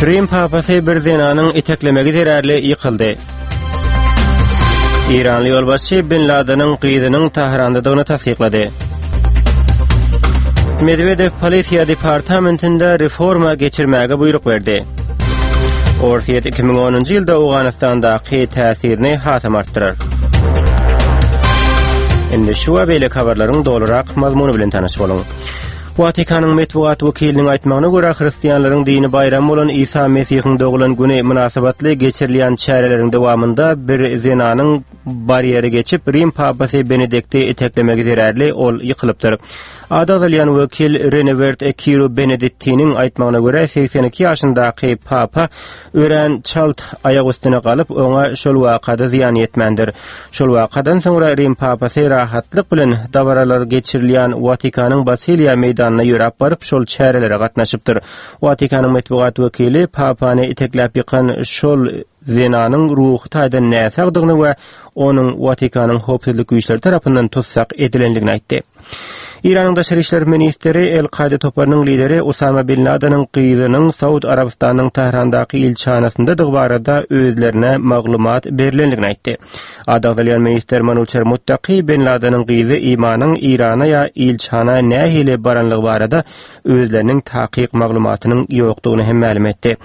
Rim papasy bir zenanyň iteklemegi zerarly ýykyldy. Iranly ýolbaşçy Bin Ladeniň gyzynyň Tahrandadygyny tassyklady. Medwedew polisiýa departamentinde reforma geçirmäge buýruk berdi. Orsýet iki müň onunjy ýylda Owganystandaky täsirini hasam artdyrar. Indi şu we beýleki habarlaryň dolurak mazmuny bilen tanyş boluň. Watikanyň metbugat wekiliniň aýtmagyna görä, hristianlaryň dini baýramy bolan Isa Mesihiň doglan güni mynasybatly geçirilýän çäreleriň dowamynda bir zenanyň barýeri geçip Rim papasy Benedikti iteklemegi zerarly ol ýykylypdyr. Ady agzalýan wekil Renewert Kiro Benediktiniň aýtmagyna görä, segsen iki ýaşyndaky papa örän çalt aýak üstüne galyp, oňa şol wakada zyýan ýetmändir. Şol wakadan soňra Rim papasy rahatlyk bilen dabaralar geçirilýän Watikanyň Basiliýa meýdanyna ýöräp baryp, şol çärelere gatnaşypdyr. Watikanyň metbugat wekili papany itekläp ýykan şol zenanyň ruhy taýdan näsagdygyny we onuň Watikanyň howpsuzlyk güýçleri tarapyndan tutsak edilendigini aýtdy. Iranyň daşary işler ministri El-Kaýda toparynyň lideri Usama Bin Ladeniň gyzynyň Saud Arabystanyň Tährandaky ilçihanasyndadygy barada özlerine maglumat berilendigini aýtdy. Ady agzalýan ministr Manuçer Muttaki Bin Ladeniň gyzy Imanyň Irana ýa ilçihana nähili baranlygy barada özleriniň takyk maglumatynyň ýokdugyny hem mälim etdi.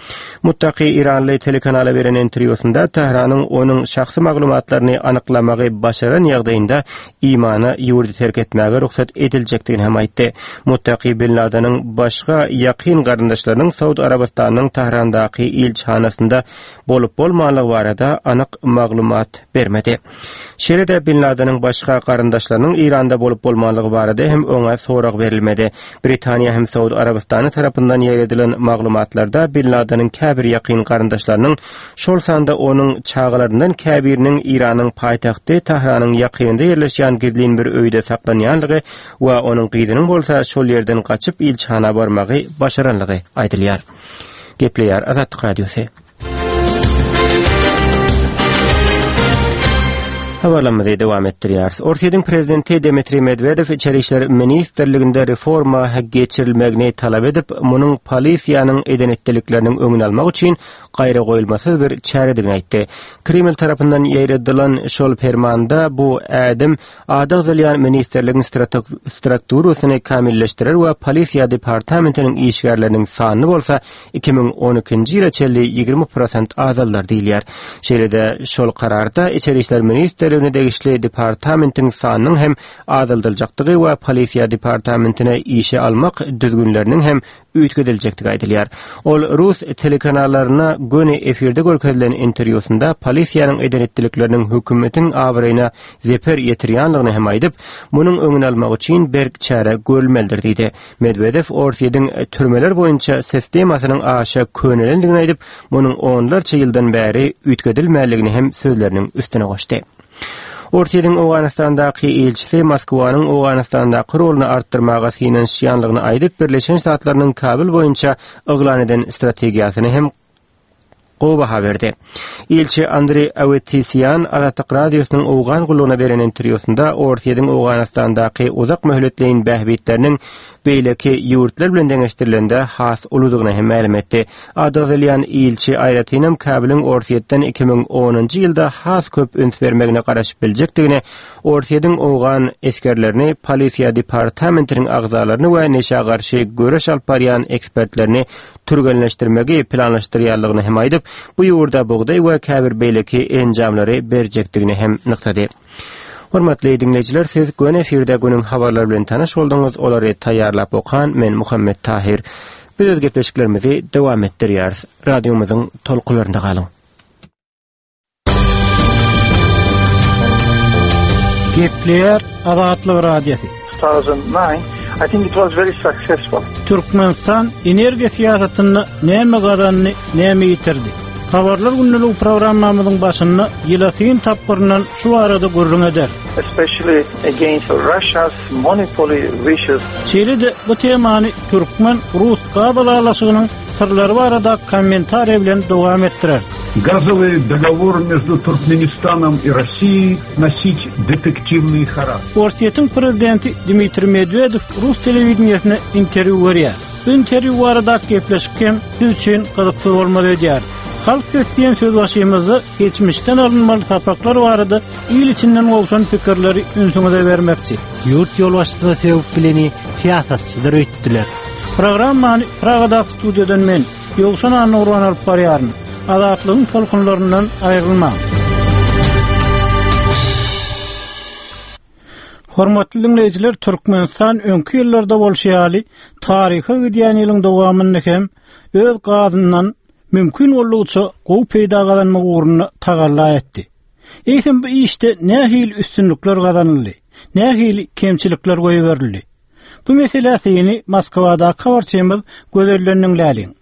Muttaki Iranly telekanala beren interwýusynda Tähranyň onuň şahsy maglumatlaryny anyklamagy başaran ýagdaýynda Imana ýurdy terk etmäge rugsat ediljekdigini hem aýtdy. Muttaki Bin Ladeniň başga ýakyn garyndaşlarynyň Saud Arabystanyň Tährandaky ilçihanasynda bolup bolmanlygy barada anyk maglumat bermedi. Şeýle-de Bin Ladeniň başga garyndaşlarynyň Iranda bolup bolmanlygy barada hem oňa sorag berilmedi. Britaniýa hem Saud Arabystany tarapyndan ýaýradylan maglumatlarda Bin Ladeniň käbir ýakyn garyndaşlarynyň, şol sanda onuň çagalaryndan käbiriniň Iranyň paýtagty Tähranyň ýakynynda ýerleşýän gizlin bir öýde saklanýanlygy we onuň gyzynyň bolsa şol ýerden gaçyp ilçihana barmagy başaranlygy aýdylýar. Gepleýär Azatlyk Radiosy. Habarlarymyzy dowam etdirýäris. Orsýetiň prezidenti Dmitriý Medwedew İçeri işler ministrliginde reforma geçirilmegini talap edip, munuň polisiýanyň eden etdilikleriniň öňüni almak üçin gaýra goýulmasyz bir çäredigini aýtdy. Kreml tarapyndan ýaýradylan şol permanda bu ädim ady agzalýan ministrligiň strukturasyny kamilleşdirer we polisiýa departamentiniň işgärleriniň sanyny bolsa iki müň on ikinji ýyla çenli ýigrimi prosent azaldar diýilýär. Şeýle-de şol kararda İçeri işler ministrligine degişli departamentiň sanynyň hem azaldyljakdygy we polisiýa departamentine işe almak düzgünleriniň hem üýtgediljekdigi aýdylýar. Ol Rus telekanallaryna göni efirde görkezilen interwýusynda polisiýanyň eden etdilikleriniň hökümetiň abraýyna zeper ýetirýändigini hem aýdyp, munuň öňüni almak üçin berk çäre görülmelidir diýdi. Medwedew Orsýetiň türmeler boýunça sistemasynyň aşa könelendigini aýdyp, munuň onlarça ýyldan bäri üýtgedilmändigini hem sözleriniň üstüne goşdy. Orsýetiň Owganystandaky ilçisi Moskwanyň Owganystandaky roluny artdyrmaga synanyşýanlygyny aýdyp, Birleşen Ştatlarynyň Kabul boýunça yglan eden strategiýasyny hem gowy baha berdi. Ilçi Andreý Awetisian Azatlyk Radiosynyň Owgan gullugyna beren interwýusynda Orsýetiň Owganystandaky uzak möhletleýin bähbitleriniň beýleki ýurtlar bilen deňeşdirilende has uludygyny hem mälim etdi. Ady agzalýan ilçi aýratynam Kabulyň Orsýetden iki müň onunjy ýylda has köp üns bermegine garaşyp biljekdigini, Orsýetiň Owgan esgerlerini, polisiýa departamentiniň agzalaryny we neşä garşy göreş alyp barýan ekspertlerini türgenleşdirmegi planlaşdyrýanlygyny hem aýdyp, bu ýurda bugdaý we käbir beýleki enjamlary berjekdigini hem nygtady. Hormatly dinleýjiler, siz göni efirde günüň habarlary bilen tanyş bolduňyz. Olary taýýarlap okan men Muhammet Tahir. Biz öz gepleşiklerimizi dowam etdirýäris. Radiomyzyň tolkunlarynda galyň. Gepleýär Azatlyk Radiosy. two thousand nine, I think it was very successful. Türkmenistan energiýa syýasatynda näme gazandy, näme ýitirdi? Habarlar gündelik programmamyzyň başynda ýyla syn tapgyryndan şu arada gürrüň eder. Especially against Russia's monopoly wishes. Şeýle-de bu temany Türkmen Rus gaz ylalaşygynyň syrlary barada kommentariýa bilen dowam etdirer. Газовый договор между Туркменистаном и Россией носить детективный характер. Orsýetiň prezidenti Dmitriý Medwedew Rus telewideniýesine interwýu berýär. Bu interwýu barada gepleşik hem biz üçin gyzykly bolmaly edýär. Halk sesi diýen söz başymyzda geçmişden alynmaly sapaklar barada il içinden gowşan pikirleri ünsüňize bermekçi. Ýurt ýolbaşçysyna sebäp bileni syýasatçylar öýtdüler. Programmany Pragadaky studiýadan men Ýowşan Annurwan alyp barýaryn. Azatlygyň tolkunlaryndan aýrylmaň. Hormatly dinleýjiler, Türkmenistan öňki ýyllarda bolşy ýaly taryha gidýän ýylyň dowamynda hem öz gazyndan mümkin boldugyça gowy peýda gazanmak ugrunda tagalla etdi. Eýsem bu işde nähili üstünlikler gazanyldy, nähili kemçilikler goýberildi? Bu mesele seni Moskwadaky habarçymyz Gözellendiň Läliň.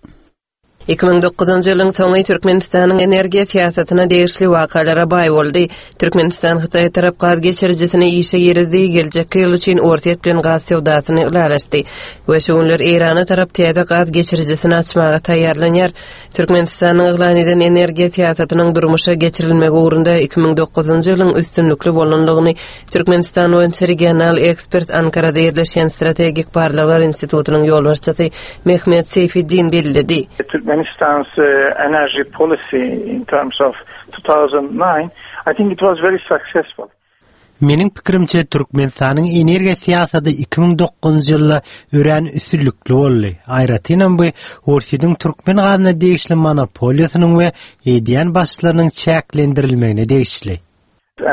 iki müň dokuzynjy ýylyň soňy Türkmenistanyň energiýa syýasatyna degişli wakalara baý boldy. Türkmenistan Hytaý tarap gaz geçirijisini işe girizdi, geljekki ýyl üçin Orsýet bilen gaz söwdasyny ylalaşdy we şu günler Eýrana tarap täze gaz geçirijisini açmaga taýýarlanýar. Türkmenistanyň yglan eden energiýa syýasatynyň durmuşa geçirilmegi ugrunda iki müň dokuzynjy ýylyň üstünlikli bolanlygyny Türkmenistan boýunça regional ekspert Ankarada ýerleşýän Strategik Barlaglar Institutynyň ýolbaşçysy Mehmet Seyfiddin belledi. Turkmenistan's, uh, energy policy in terms of two thousand nine, I think it was very successful. Meniň pikirimçe Türkmenistanyň energiýa syýasaty iki müň dokuzynjy ýylda örän üstünlikli boldy. Aýratynam bu Orsýetiň türkmen gazyna degişli monopoliýasynyň we edýän başlarynyň çäklendirilmegine degişli.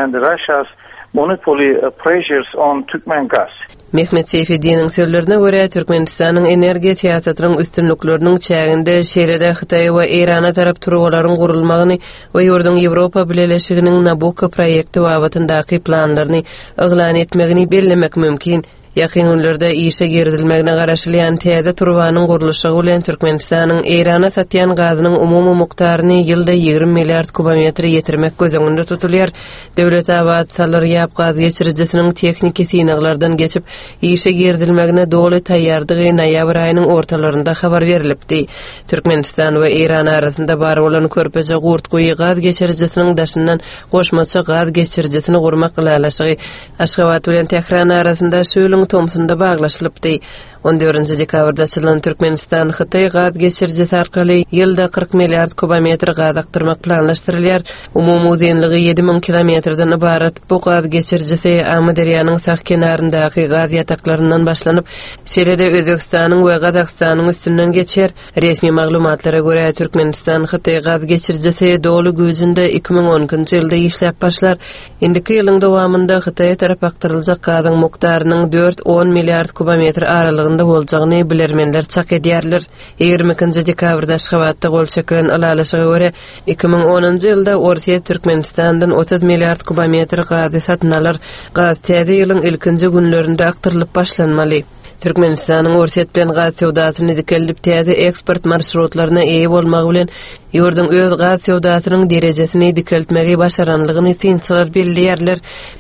And Russia's monopoly, uh, pressures on Turkmen gas. Mehmet Seyfiddiniň sözlerine görä Türkmenistanyň energiýa syýasatynyň üstünlikleriniň çäginde şeýle-de Hytaý we Eýrana tarap turbalaryň gurulmagyny we ýurduň Ýewropa Bileleşiginiň Nabucco proýekti babatyndaky planlaryny yglan etmegini bellemek mümkin. Ýakyn günlerde işe girizilmegine garaşylýan täze turbanyň gurluşygy bilen Türkmenistanyň Eýrana satýan gazynyň umumy mukdaryny ýylda ýigrimi milliard kubometre ýetirmek göz öňünde tutulýar. Döwletabat Salyr Ýap gaz geçirijisiniň tehniki synaglardan geçip işe girizilmegine doly taýýardygy noýabr aýynyň ortalarynda habar berilipdi. Türkmenistan we Eýran arasynda bar bolan Körpeje Gurtguýy gaz geçirijisiniň daşyndan goşmaça gaz geçirijisini gurmak ylalaşygy Aşgabat bilen Tähran arasynda şu ýylyň tomsunda baglaşylypdy. On dördünji dekabrda açylan Türkmenistan Hytaý gaz geçirijisi arkaly ýylda kyrk milliard kubometr gaz akdyrmak planlaşdyrylýar. Umumy uzynlygy ýedi müň kilometrden ybarat bu gaz geçirijisi Amyderýanyň sag kenaryndaky gaz ýataklaryndan başlanyp, şeýle-de Özbekistanyň we Gazagystanyň üstünden geçer. Resmi maglumatlara görä Türkmenistan Hytaý gaz geçirijisi doly güýjünde iki müň on ikinji ýylda işläp başlar. Indiki ýylyň dowamynda Hytaýa tarap akdyryljak gazyň mukdarynyň dört on milliard kubometr aralygynda boljagyny bilermenler çak edýärler. Ýigrimi ikinji dekabrda Aşgabatda gol çekilen ylalaşyga görä iki müň onunjy ýylda Orsýet Türkmenistandan otuz milliard kubometr gazy satyn alar. Gaz täze ýylyň ilkinji günlerinde akdyrylyp başlanmaly. Türkmenistanyň Orsýet bilen gaz söwdasyny dikeldip täze eksport marşrutlaryna eýe bolmagy bilen ýurduň öz gaz söwdasynyň derejesini dikeltmegi başaranlygyny synçylar belleýärler.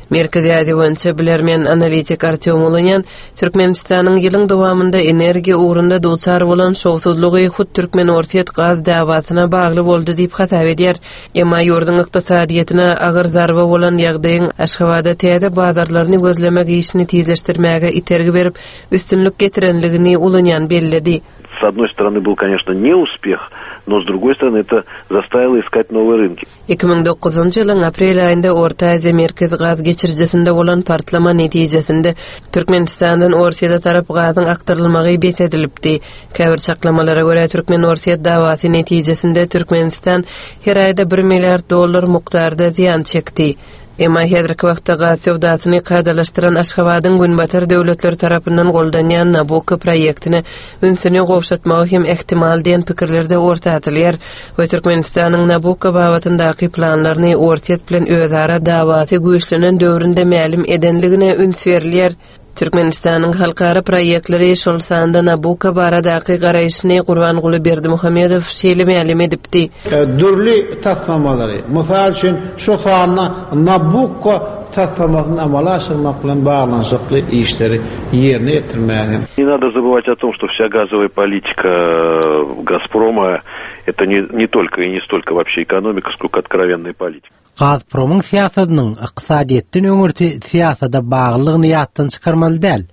Merkezi Aziýa boýunça bilermen analitik Artyom Ulunýan Türkmenistanyň ýylyň dowamynda energiýa ugrunda duçar bolan şowsuzlygy hut Türkmen-Orsýet gaz dawasyna bagly boldy diýip hasap edýär. Emma ýurduň ykdysadyýetine agyr zarba bolan ýagdaýyň Aşgabada täze bazarlaryny gözlemek işini tizleşdirmäge itergi berip üstünlik getirenligini Ulunýan belledi. С одной стороны был, конечно, неуспех, но с другой стороны это заставило искать новые рынки. Iki müň dokuzynjy ýylyň aprel aýynda Orta Aziýa merkezi gaz geçirijisinde bolan partlama netijesinde Türkmenistandan Orsýete tarap gazyň akdyrylmagy bes edilipdi. Käbir çaklamalara görä Türkmen-Orsýet dawasy netijesinde Türkmenistan her aýda bir milliard dollar mukdarda zyýan çekdi. Emma häzirki wagtda gaz söwdasyny kadalaşdyran Aşgabadyň Günbatar döwletleri tarapyndan goldanýan Nabucco proýektine ünsüni gowşatmagy hem ehtimal diýen pikirlerde orta atylýar we Türkmenistanyň Nabucco babatyndaky planlaryny Orsýet bilen özara dawasy güýçlenen döwründe mälim edenligine üns berilýär. Türkmenistanyň halkara proýektleri şol sanda Nabucco baradaky garaýşyny Gurbanguly Berdimuhamedow şeýle mälim edipdi. Dürli taslamalary, mysal üçin şu sanda Nabucco taslamasyny amala aşyrmak bilen baglanyşykly işleri ýerine ýetirmäge. Не надо забывать о том, что вся газовая политика Газпрома это не, не только и не столько вообще экономика, сколько откровенная политика. Gazpromyň syýasatynyň ykdysadyýetden öňürti syýasata baglylygyny ýatdan çykarmaly däl.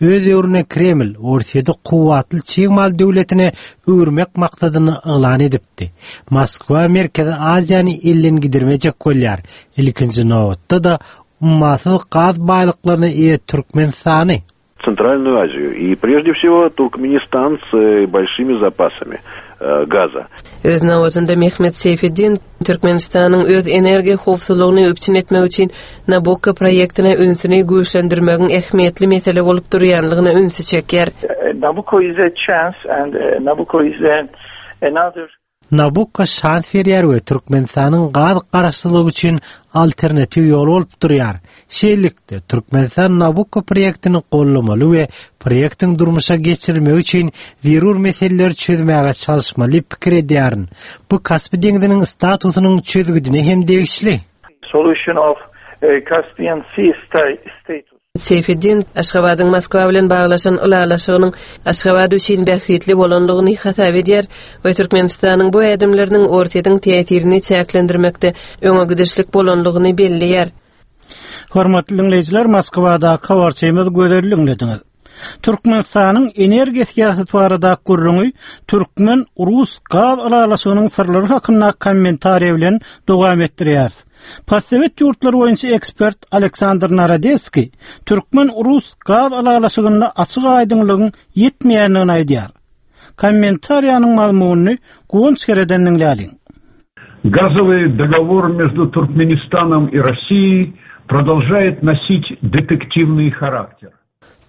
Öz döwründe Kreml Orsýeti kuwwatly çig mal döwletine öwürmek maksadyny yglan edipdi. Moskwa Merkezi Aziýany elden gidirmejek bolýar. Ilkinji nobatda-da ummasyz gaz baýlyklaryna eýe Türkmenistany. Центральную Азию и прежде всего Туркменистан с большими запасами газа. Öz nobatynda Mehmet Seyfeddin Türkmenistanyň öz energiýa howpsuzlygyny üpjün etmek üçin Nabucco proýektine ünsüni güýçlendirmegiň ähmiýetli mesele bolup durýanlygyna ünsi çekýär. Nabucco is a chance and Nabucco is a, another Nabucco şans berýär we Türkmenistanyň gaz garaşsyzlygy üçin alternatiw ýol bolup durýar. Şeýlelikde Türkmenistan Nabucco proýektini gollamaly we proýektiň durmuşa geçirilmegi üçin zerur meseleleri çözmäge çalyşmaly pikir edýärin. Bu Kaspi deňziniň statusynyň çözgüdine hem degişli. Solution of Caspian Sea status. Seyfeddin Aşgabadyň Moskwa bilen baglaşan ylalaşygynyň Aşgabat üçin bähbitli bolanlygyny hasap edýär we Türkmenistanyň bu ädimleriniň Orsýetiň täsirini çäklendirmekde öňe gidişlik bolanlygyny belleýär. Hormatly dinleýjiler, Moskwada habarçymyz Gözel diňlediňiz. Türkmenistanyň energiýa syýasaty barada gürrüňi Türkmen Rus gaz ylalaşygynyň syrlary hakynda kommentariýa bilen dowam etdirýär. Postsowet ýurtlary boýunça ekspert Aleksandr Narodeskiý Türkmen Rus gaz ylalaşygynda açyk aýdyňlygyň ýetmeýändigini aýdýar. Kommentariýanyň mazmunyny Guwanç Kereden diňläliň. Газовый договор между Туркменистаном и Россией продолжает носить детективный характер.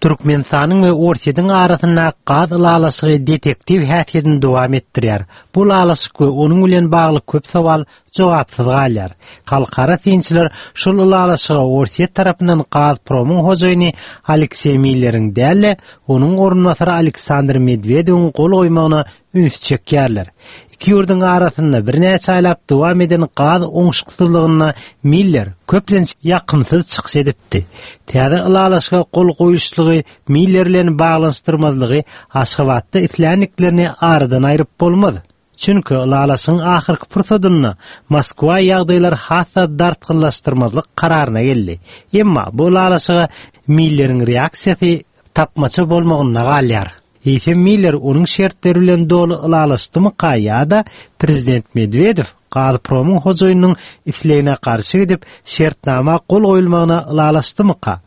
Türkmenistanyň we Orsýetiň arasynda gaz ylalaşygy detektiw häsiýetini dowam etdirýär. Bu ylalaşyk we onuň bilen bagly köp sowal jogapsyz galýar. Halkara synçylar şol ylalaşyga Orsýet tarapyndan Gazpromyň hojaýyny Alekseý Milleriň däl-de, onuň orunbasary Aleksandr Medwedewiň gol goýmagyna üns çekýärler. Iki ýurduň arasynda birnäçe aýlap dowam eden gaz oňşuksyzlygynda Miller köplenç ýakymsyz çykyş edipdi. Täze ylalaşyga gol goýuşlygy Miller bilen baglanyşdyrmazlygy Aşgabatda isläniklerini aradan aýryp bolmaz. Çünki ylalaşygyň ahyrky pursadynda Moskwa ýagdaýlar hassa dartgynlaşdyrmazlyk kararyna geldi. Emma bu ylalaşyga Milleriň reaksiýasy tapmaça bolmagyna galýar. Eýsem Miller onuň şertleri bilen doly ylalaşdymyka ýa-da prezident Medwedew Gazpromyň hojaýynyň islegine garşy gidip şertnama gol goýulmagyna ylalaşdymyka?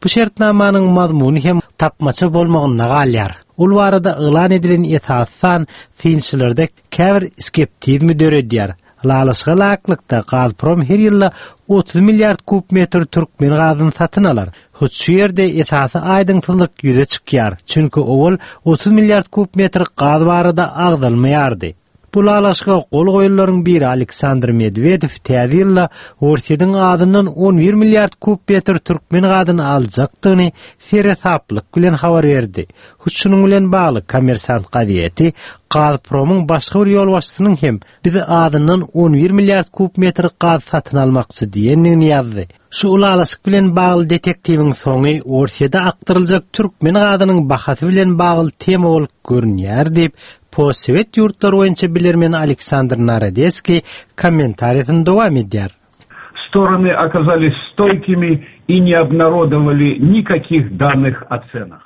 Bu şertnamanyň mazmuny hem tapmaça bolmagyna galýar. Ol barada yglan edilen esasdan synçylarda käbir skeptizmi döredýär. Ylalaşyga laýyklykda Gazprom her ýylda otuz milliard kub metr türkmen gazyny satyn alar. Hut şu ýerde esasy aýdyňsyzlyk ýüze çykýar. Çünki owal otuz milliard kub metr gaz barada agzalmaýardy. Bu ylalaşyga gol goýanlaryň biri Aleksandr Medwedew täze ýylda Orsýetiň adyndan on bir milliard kub metr türkmen gazyny aljakdygyny seresaplyk bilen habar berdi. Hut şunuň bilen bagly Kommersant gazeti Gazpromyň başga bir ýolbaşçysynyň hem bizi adyndan on bir milliard kub metr gaz satyn almakçy diýendigini ýazdy. Şu ylalaşyk bilen bagly detektiwiň soňy Orsýete akdyryljak türkmen gazynyň bahasy bilen bagly tema bolup görünýär diýip postsowet ýurtlary boýunça bilermen Aleksandr Narodeskiý kommentariýasyny dowam edýär. Стороны оказались стойкими и не обнародовали никаких данных о ценах.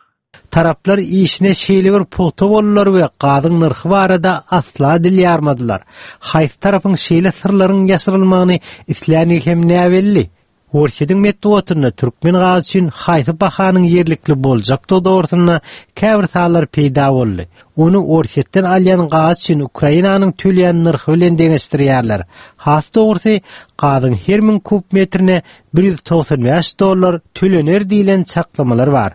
Taraplar işine şeýle bir pugta boldular we gazyň nyrhy barada asla dil ýarmadylar. Haýsy tarapyň şeýle syrlaryň ýaşyrylmagyny isläni hem näbelli. Orsýetiň metbugatynda türkmen gazy üçin haýsy bahanyň ýerlikli boljakdygy dogrusynda käbir sanlar peýda boldy. Ony Orsýetden alýan gaz üçin Ukrainanyň töleýän nyrhy bilen deňeşdirýärler. Has dogrusy, gazyň her müň kub metrine bir ýüz togsan bäş dollar tölener diýlen çaklamalar bar.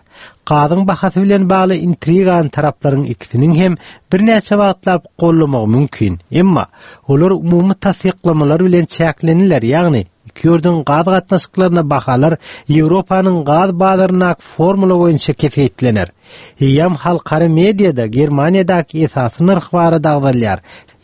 Gazyň bahasy bilen bagly intrigan taraplaryň ikisiniň hem birnäçe wagtlap gollamagy mümkin. Emma olar umumy tassyklamalar bilen çäkleniler, ýagny Iki ýurduň gaz gatnaşyklaryna bahalar Ýewropanyň gaz bazaryndaky formula boýunça kesgitlener. Eýýäm halkara mediada Germaniýadaky esasy nyrh barada agzalýar.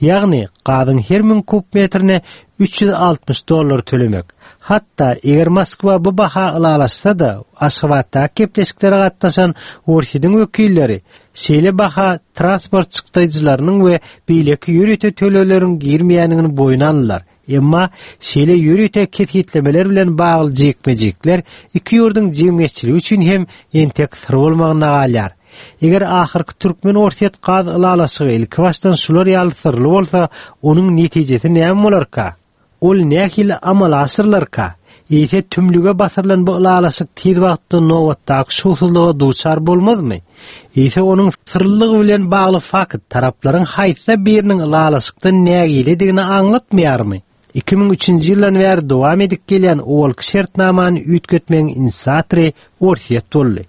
Ýagny gazyň her müň kub metrine üç ýüz altmyş dollar tölemek. Hatda eger Moskwa bu baha ylalaşsa-da, Aşgabatdaky gepleşiklere gatnaşan Orsýetiň wekilleri şeýle baha transport çykdaýjylarynyň we beýleki ýörite tölegleriň girmeýändigini boýun aldylar. Emma şeýle ýörite kesgitlemeler bilen bagly jikme-jikler iki ýurduň jemgyýetçiligi üçin hem entek syr bolmagyna galýar. Eger ahyrky türkmen-orsýet gaz ylalaşygy ilki başdan şular ýaly syrly bolsa, onuň netijesi näme bolarka? Ol nähili amala aşyrylarka? Eýse tümlüge basyrylan bu ylalaşyk tiz wagtda nobatdaky şowsuzlyga duçar bolmazmy? Eýse onuň syrlygy bilen bagly fakt taraplaryň haýsy biriniň ylalaşykdan nägiledigini aňlatmaýarmy? Iki müň üçünji ýyldan bäri dowam edip gelýän owalky şertnamany üýtgetmegiň inisiatory Orsýet boldy.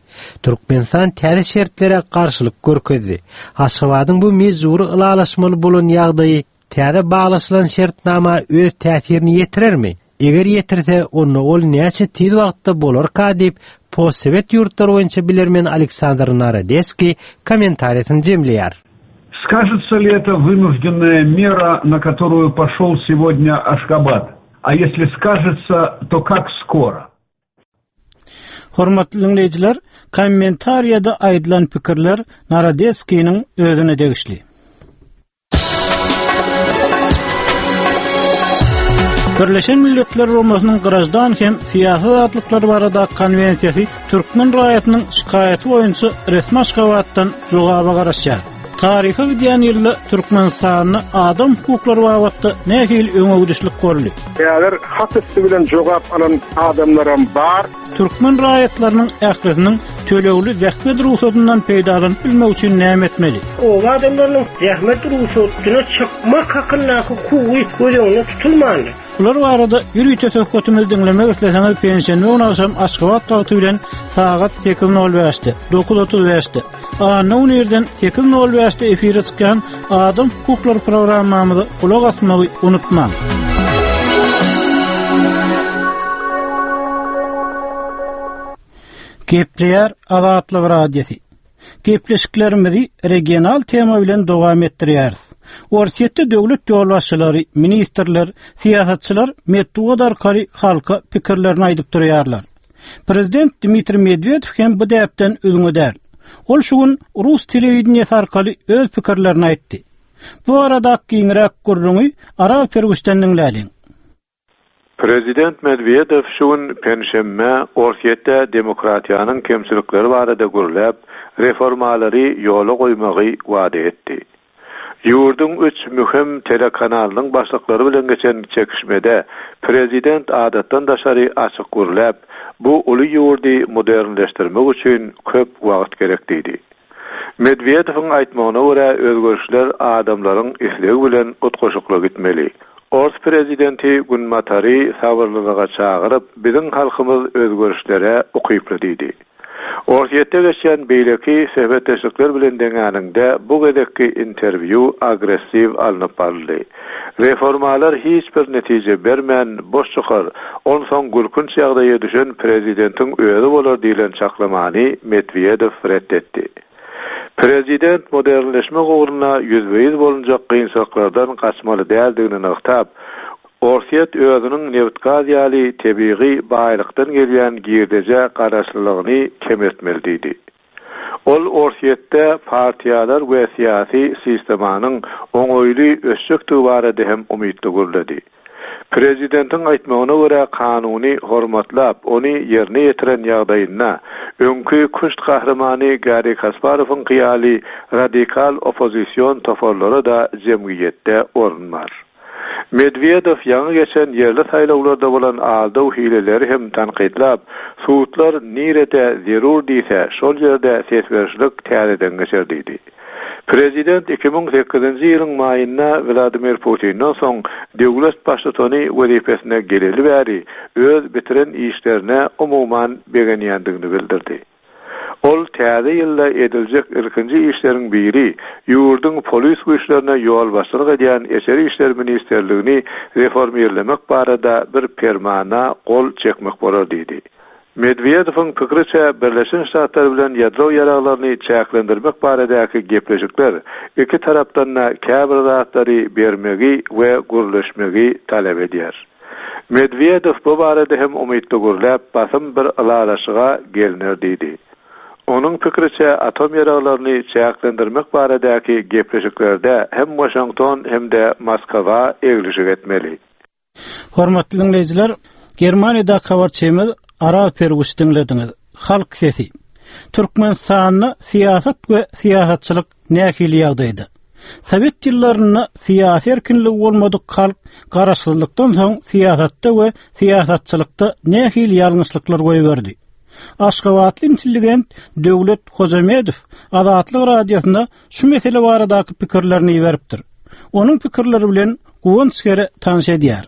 Türkmenistan täze şertlere garşylyk görkezdi. Aşgabadyň bu mejbury ylalaşmaly bolan ýagdaýy täze baglaşylan şertnama öz täsirini ýetirermi? Eger ýetirse, onda ol näçe tiz wagtda bolarka diýip, postsowet ýurtlary boýunça bilermen Aleksandr Narodeskiý kommentariýasyny jemleýär. Скажется ли это вынужденная мера, на которую пошел сегодня Ашхабад? А если скажется, то как скоро? Hormatly dinleýjiler, kommentariýada aýdylan pikirler Narodeskiniň özüne degişli. Birleşen Milletler Guramasynyň Grajdan hem syýasy azatlyklar barada konwensiýasy türkmen raýatynyň şikaýaty boýunça resmi Aşgabatdan jogaba garaşýar. Taryha gidýän ýylda Türkmenistanda adam hukuklary babatda nähili öňegidişlik boldy? Eger hat üstü bilen jogap alan adamlaram bar. Türkmen raýatlarynyň ählisiniň tölegli zähmet rugsatyndan peýdalanyp bilmek üçin näme etmeli? O adamlaryň zähmet rugsatyna çykmak hakyndaky hukugy göz öňünde tutulmandy. Bular barada ýörite söhbetimizi diňlemek isleseňiz penşenbe güni agşam Aşgabat wagty bilen sagat sekiz nol bäşde, dokuz otuz bäşde, anna güni irden sekiz nol bäşde efire çykýan Adam hukuklary programmamyza gulak asmagy unutmaň. Gepleýär Azatlyk Radiosy. Gepleşiklerimizi regional tema bilen dowam etdirýäris. Orsýetde döwlet ýolbaşçylary, ministrler, syýasatçylar metbugat arkaly halka pikirlerini aýdyp durýarlar. Prezident Dmitriý Medwedew hem bu däpden üzňe däl. Ol şu gün rus telewideniýesi arkaly öz pikirlerini aýtdy. Bu arada giňräk gürrüňi Araz Pergüşden diňläliň. Prezident Medvedev şu gün penşenbe Orsýetde demokratiýanyň kemçilikleri barada gürläp, reformalary ýola goýmagy wada etdi. Ýurduň üç möhüm telekanalynyň başlyklary bilen geçen çekişmede prezident adatdan daşary açyk gürläp, bu uly ýurdy modernleşdirmek üçin köp wagt gerek diýdi. Medvedewiň aýtmagyna görä özgerişler adamlaryň islegi bilen utgaşykly gitmeli. Ors prezidenti Günbatary sabyrlylyga çagyryp, biziň halkymyz özgerişlere ukyply diýdi. Orsýetde geçen beýleki söhbetdeşlikler bilen deňäninde bu gezekki interwýu agressiw alnyp baryldy. Reformalar hiç bir netije bermän boş çykar, onsoň gülkünç ýagdaýa düşen prezidentiň özi bolar diýlen çaklamany Medvedew reddetdi. Prezident modernleşme ugruna ýüzbe-ýüz bolunjak kynçylyklardan gaçmaly däldigini nygtap, Orsýet özüniň nebit-gaz ýaly tebigy baýlykdan gelýän girdeje garaşlylygyny kemeltmeli diýdi. Ol Orsýetde partiýalar we syýasy sistemanyň oňaýly ösjekdigi barada hem umytly gürledi. Prezidentiň aýtmagyna görä kanuny hormatlap, ony ýerine ýetiren ýagdaýynda öňki küşt gahrymany Garry Kasparowyň hyýaly radikal oppozision toparlara da jemgyýetde orun bar. Medvedev ýaňy geçen ýerli saýlawlarda bolan aldaw hileleri hem tankytlap, sudlar nirede zerur diýse, şol ýerde ses berişlik täzeden geçer diýdi. Prezident iki müň sekizinji ýylyň maýynda Vladimir Putindan soň döwlet baştutany wezipesine geleli bäri öz bitiren işlerine umuman begenýändigini bildirdi. Ol täze ýylda ediljek ilkinji işleriň biri ýurduň polis güýçlerine ýolbaşçylyk edýän Içeri işler ministrligini reformirlemek barada bir permana gol çekmek bolar diýdi. Medwedewiň pikiriçe Birleşen Ştatlar bilen ýadro ýaraglaryny çäklendirmek baradaky gepleşikler iki tarapdan da käbir zatlary bermegi we gürleşmegi talap edýär. Medwedew bu barada hem umytly gürläp, basym bir ylalaşyga gelner diýdi. Onuň pikiriçe atom ýaraglaryny çäklendirmek baradaky gepleşiklerde hem Washington hem de Moskwa eglişik etmeli. Hormatly dinleýjiler, Germaniýada habarçymyz Aral Perguş diňlediňiz. Halk sesi. Türkmenistanda syýasat we syýasatçylyk nähili ýagdaýda? Sowet ýyllarynda syýasy erkinligi bolmadyk halk garaşsyzlykdan soň syýasatda we syýasatçylykda nähili ýalňyşlyklar goýberdi? Aşgabatly intelligent Döwlet Hojamedow Azatlyk radiosynda şu mesele baradaky pikirlerini beripdir. Onuň pikirleri bilen Guwanç Gere tanyş edýär.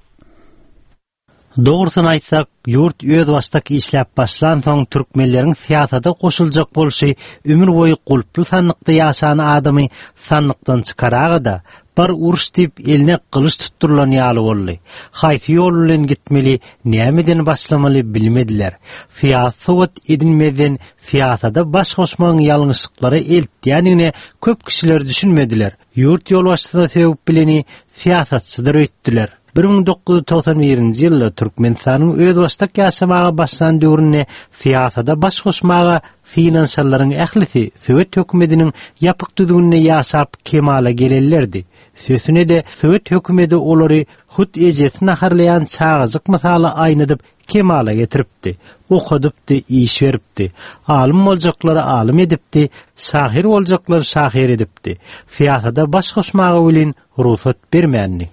Dogrusyny aýtsak, ýurt özbaşdak işläp başlan soň türkmenleriň syýasata goşuljak bolşy ömür boýy gulply sandykda ýaşan adamy sandykdan çykaraga-da bir uruş diýip eline gylyç tutdurylan ýaly boldy. Haýsy ýol bilen gitmeli, nämeden başlamaly bilmediler. Syýasy sowat edinmezden syýasata baş goşmagyň ýalňyşlyklara eltýändigine köp kişiler düşünmediler. Ýurt ýolbaşçysyna sögüp bileni syýasatçydyr öýtdüler. bir müň dokuz ýüz togsan birinji ýylda Türkmenistanyň özbaşdak ýaşamaga başlan döwründe syýasata baş goşmaga synanyşanlaryň ählisi Sowet hökümetiniň ýapyk düzgüninde ýaşap kemala gelenlerdi. Sözüne-de Sowet hökümeti olary hut ejesi naharlaýan çagajyk mysaly aýnadyp kemala getiripdi. Okadypdy, iş beripdi. Alym boljaklary alym edipdi, şahyr boljaklary şahyr edipdi. Syýasata baş goşmaga welin rugsat bermändi.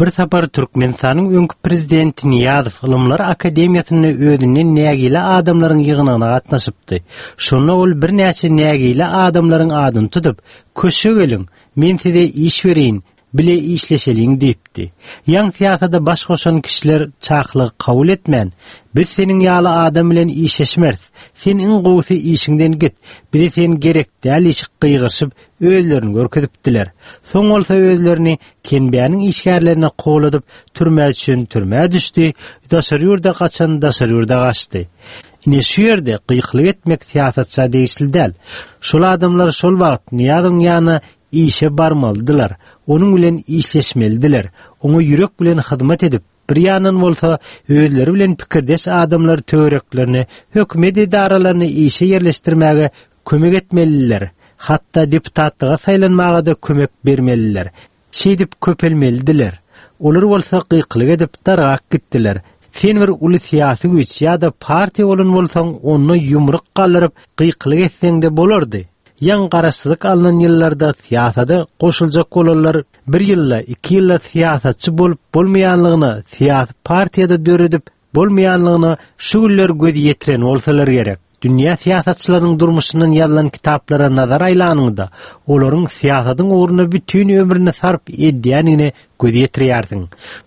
Bir sapar Türkmenistanyň öňki prezidenti Niýazow Ylymlar Akademiýasynda özünden nägile adamlaryň ýygnagyna gatnaşypdy. Şonda ol birnäçe nägile adamlaryň adyny tutup, "Köşe geliň, men size iş bereýin, bile işleşeliň" diýipdi. Ýaň syýasata baş goşan kişiler çaklygy kabul etmän, "Biz seniň ýaly adam bilen işleşmeris. Sen iň gowusy işiňden git. Bize sen gerek däl" işik gygyryşyp özlerini görkezipdiler. Soň bolsa özlerini Kenbäniň işgärlerine kowladyp türmä düşen türmä düşdi, daşary ýurda gaçan daşary ýurda gaçdy. Ine şu ýerde gykylyk etmek syýasatça degişli däl. Şol adamlar şol wagt Niýazowyň ýanyna işe barmalydylar, onuň bilen işleşmelidiler, oňa ýürek bilen hyzmat edip, bir ýandan bolsa özleri bilen pikirdeş adamlar töwereklerine, hökümet edaralaryny işe ýerleşdirmäge kömek etmelidiler. Hatda deputatlyga saýlanmaga da kömek bermelidiler. Şeýdip köpelmelidiler. Olar bolsa gykylyk edip dargak gitdiler. Sen bir uly syýasy güýç ýa-da partiýa bolan bolsaň, onda ýumruk galdyryp gykylyk etseň-de bolardy. Ýaň garaşsyzlyk alnan ýyllarda syýasata goşuljak bolanlar bir ýylda, iki ýylda syýasatçy bolup bolmaýanlygyna, syýasy partiýada döredip bolmaýanlygyna şu günler göz ýetiren bolsalar gerek. Dünýä syýasatçylarynyň durmuşyndan ýazylan kitaplara nazar aýlanyňda, olaryň syýasatyň ugrunda bütün ömrüni sarp edýändigine göz ýetirýärsiň.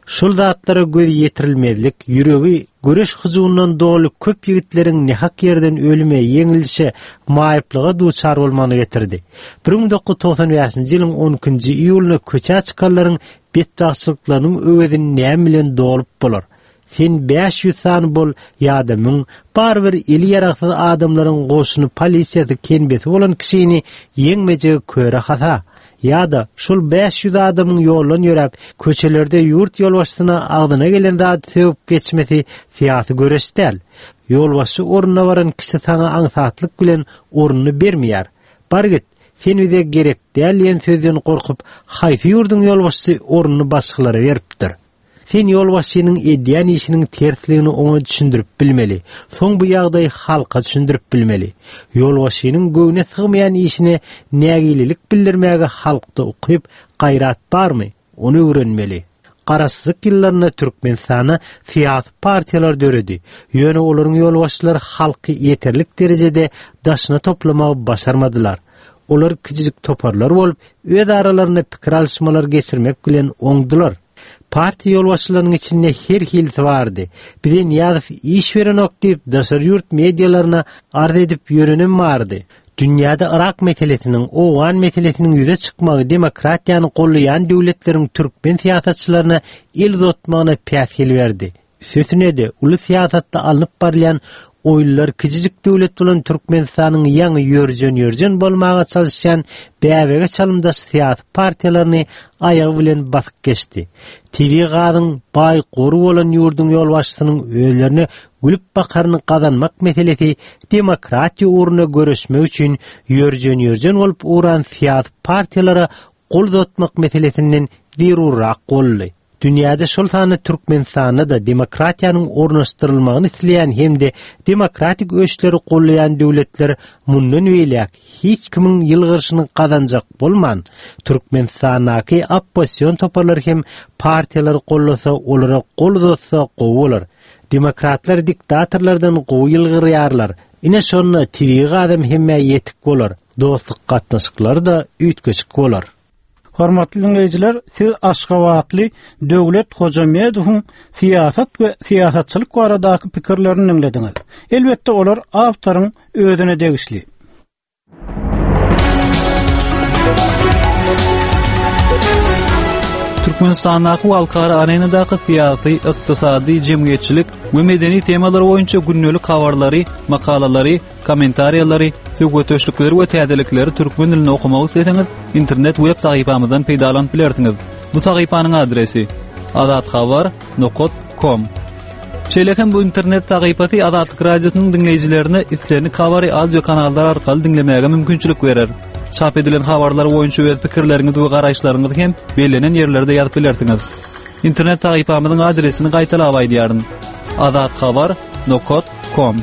Şol zatlara göz ýetirilmezlik, ýüregi göreş hyjuwyndan doly köp ýigitleriň nehak ýerden ölüme, ýeňilişe, maýyplyga duçar bolmagyny getirdi. bir müň dokuz ýüz togsan bäşinji ýylyň on ikinji iýulynda köçä çykanlaryň betbagtçylyklarynyň öwezini näme bilen dolup bolar? Sen bäş ýüz sany bol ýa-da müň, barybir eli ýaragsyz adamlaryň goşuny polisiýasy kenbesi bolan kişini ýeňmejegi köre hasa. Ýa-da şol bäş ýüz adamyň ýoldan ýöräp, köçelerde ýurt ýolbaşçysyna agzyna gelen zady sögüp geçmesi syýasy göreş däl. Ýolbaşçy ornuna baran kişi saňa aňsatlyk bilen ornuny bermeýär. Bar git, sen bize gerek däl diýen sözden gorkup, haýsy ýurduň ýolbaşçysy ornuny başgalara beripdir? Sen ýolbaşçynyň edýän işiniň tersligini oňa düşündirip bilmeli. Soň bu ýagdaýy halka düşündirip bilmeli. Ýolbaşçynyň göwne sygmaýan işine nägilelik bildirmäge halkda ukyp, gaýrat barmy? Ony öwrenmeli. Garaşsyzlyk ýyllarynda Türkmenistanda syýasy partiýalar döredi. Ýöne olaryň ýolbaşçylary halky ýeterlik derejede daşyna toplamagy başarmadylar. Olar kiçijik toparlar bolup, öz aralarynda pikir alyşmalar geçirmek bilen oňdular. Partiýa ýolbaşçylarynyň içinde her hilisi bardy. Bize Nyýazow iş berenok diýip daşary ýurt medialaryna arz edip ýörenem bardy. Dünýäde Irak meselesiniň, Owgan meselesiniň ýüze çykmagy demokratiýany gollaýan döwletleriň türkmen syýasatçylaryna el uzatmagyna päsgel berdi. Üstesine-de uly syýasatda alnyp barylýan oýunlar kiçijik döwlet bolan Türkmenistanyň ýaňy ýörjen-ýörjen bolmaga çalyşýan bäbege çalymdaş syýasy partiýalaryny aýagy bilen basyp geçdi. Tebigy gazyň baý gory bolan ýurduň ýolbaşçysynyň özlerine gülüp bakaryny gazanmak meselesi demokratiýa ugrunda göreşmek üçin ýörjen-ýörjen bolup ugran syýasy partiýalara gol uzatmak meselesinden zerurrak boldy. Dünýäde şol sanda Türkmenistanda-da demokratiýanyň ornaşdyrylmagyny isleýän hem-de demokratik ösüşleri gollaýan döwletler mundan beýläk hiç kimiň ýylgyryşyny gazanjak bolman, Türkmenistandaky oppozision toparlar hem partiýalary gollasa, olara gol uzatsa gowy bolar. Demokratlar diktatorlardan gowy ýylgyrýarlar. Ine şonda tebigy gazam hemmä ýetik bolar. Dostluk gatnaşyklary-da üýtgeşik bolar. Hormatly dinleýjiler, siz Aşgabatly Döwlet Hojamedowyň syýasat we syýasatçylyk baradaky pikirlerini dinlediňiz. Elbetde olar awtoryň özüne degişli. Türkmenistandaky we halkara arenadaky syýasy, ykdysady, jemgyýetçilik we medeni temalar boýunça gündelik habarlary, makalalary, kommentariýalary, söhbetdeşlikleri we täzelikleri türkmen dilinde okamak isleseňiz, internet web sahypamyzdan peýdalanyp bilersiňiz. Bu sahypanyň adresi azathabar nokta com. Şeýle hem bu internet sahypasy Azatlyk Radiosynyň diňleýjilerine islendik habary audio kanallar arkaly diňlemäge mümkinçilik berer. Çap edilen habarlar boýunça öz pikirleriňizi we garaýyşlaryňyzy hem bellenen ýerlerde ýazyp bilersiňiz. Internet sahypamyzyň adresini gaýtalap aýdýaryn. azathabar nokta com.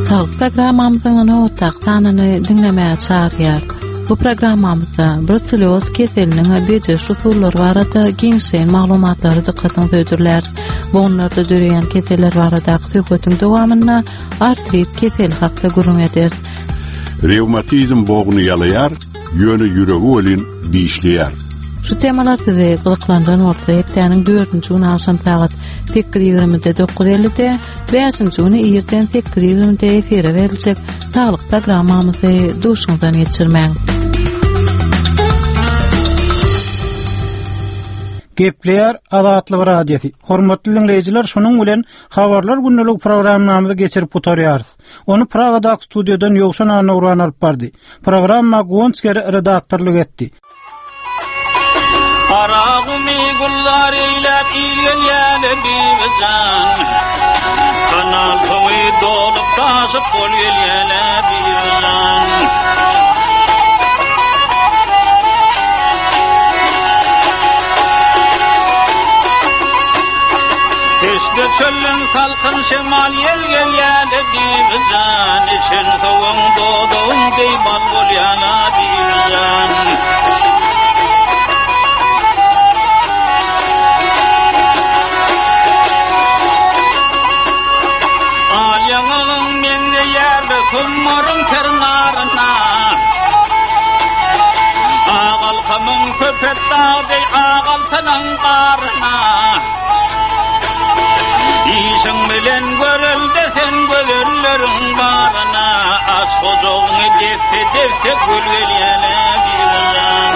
Saglyk programmamyzyň nobatdaky sanyny diňlemäge çagyrýar. Bu programmamyzda bruselloz keseliniň bejeriş usullary barada giňişleýin maglumatlary dykgatyňyza hödürlär. Bogunlarda döreýän keseller baradaky söhbetiň dowamynda artrit keseli hakda gürrüň ederis. Revmatizm bogny ýalaýar, ýöne ýüregi welin dişleýär. Şu temalar sizi gyzyklandyran bolsa, hepdäniň dördünji güni agşam sagat sekiz ýigrimide dokuz ellide, bäşinji güni irden sekiz ýigrimide efire beriljek saglyk programmamyzy duşuňyzdan geçirmäň. Gepleýär Azatlyk Radiosy. Hormatly dinleýjiler, şunuň bilen habarlar gündelik programmamyzy geçirip gutarýarys. Ony Pragadaky studiýadan Ýowşan Annagurban alyp bardy. Programma Guwanç Geri redaktorlyk etdi. Aragumi gullar eýläp il gelýäle bibijan. Kanal suwy dolup taşyp bol gelýäle bibijan. Teşne çölün salkyn şemal ýel gelýäle bibijan. Içen suwuň doduň deý bal bolýala bibijan. Al ýaňagyň meňzeýärle summaryň ternarına. Agalkamyň köpet dagdeý agaltanyň garyna. Işiň bilen görelde sen gözelleriň baryna. Aç hojagyňy desse desse gül gelýäle bibijan.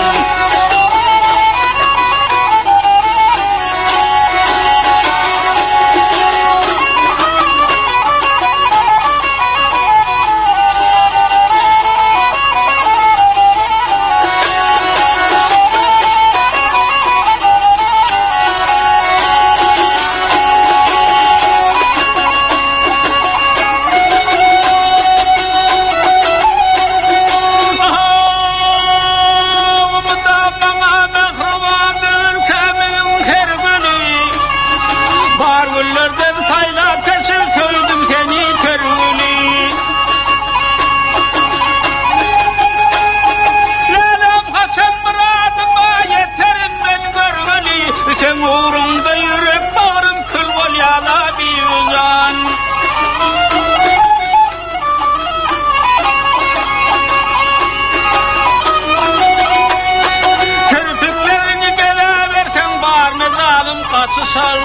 saçyşar.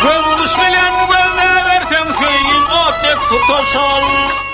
Göz uç bilen gözläberseň söýgin ot dek tutaşar.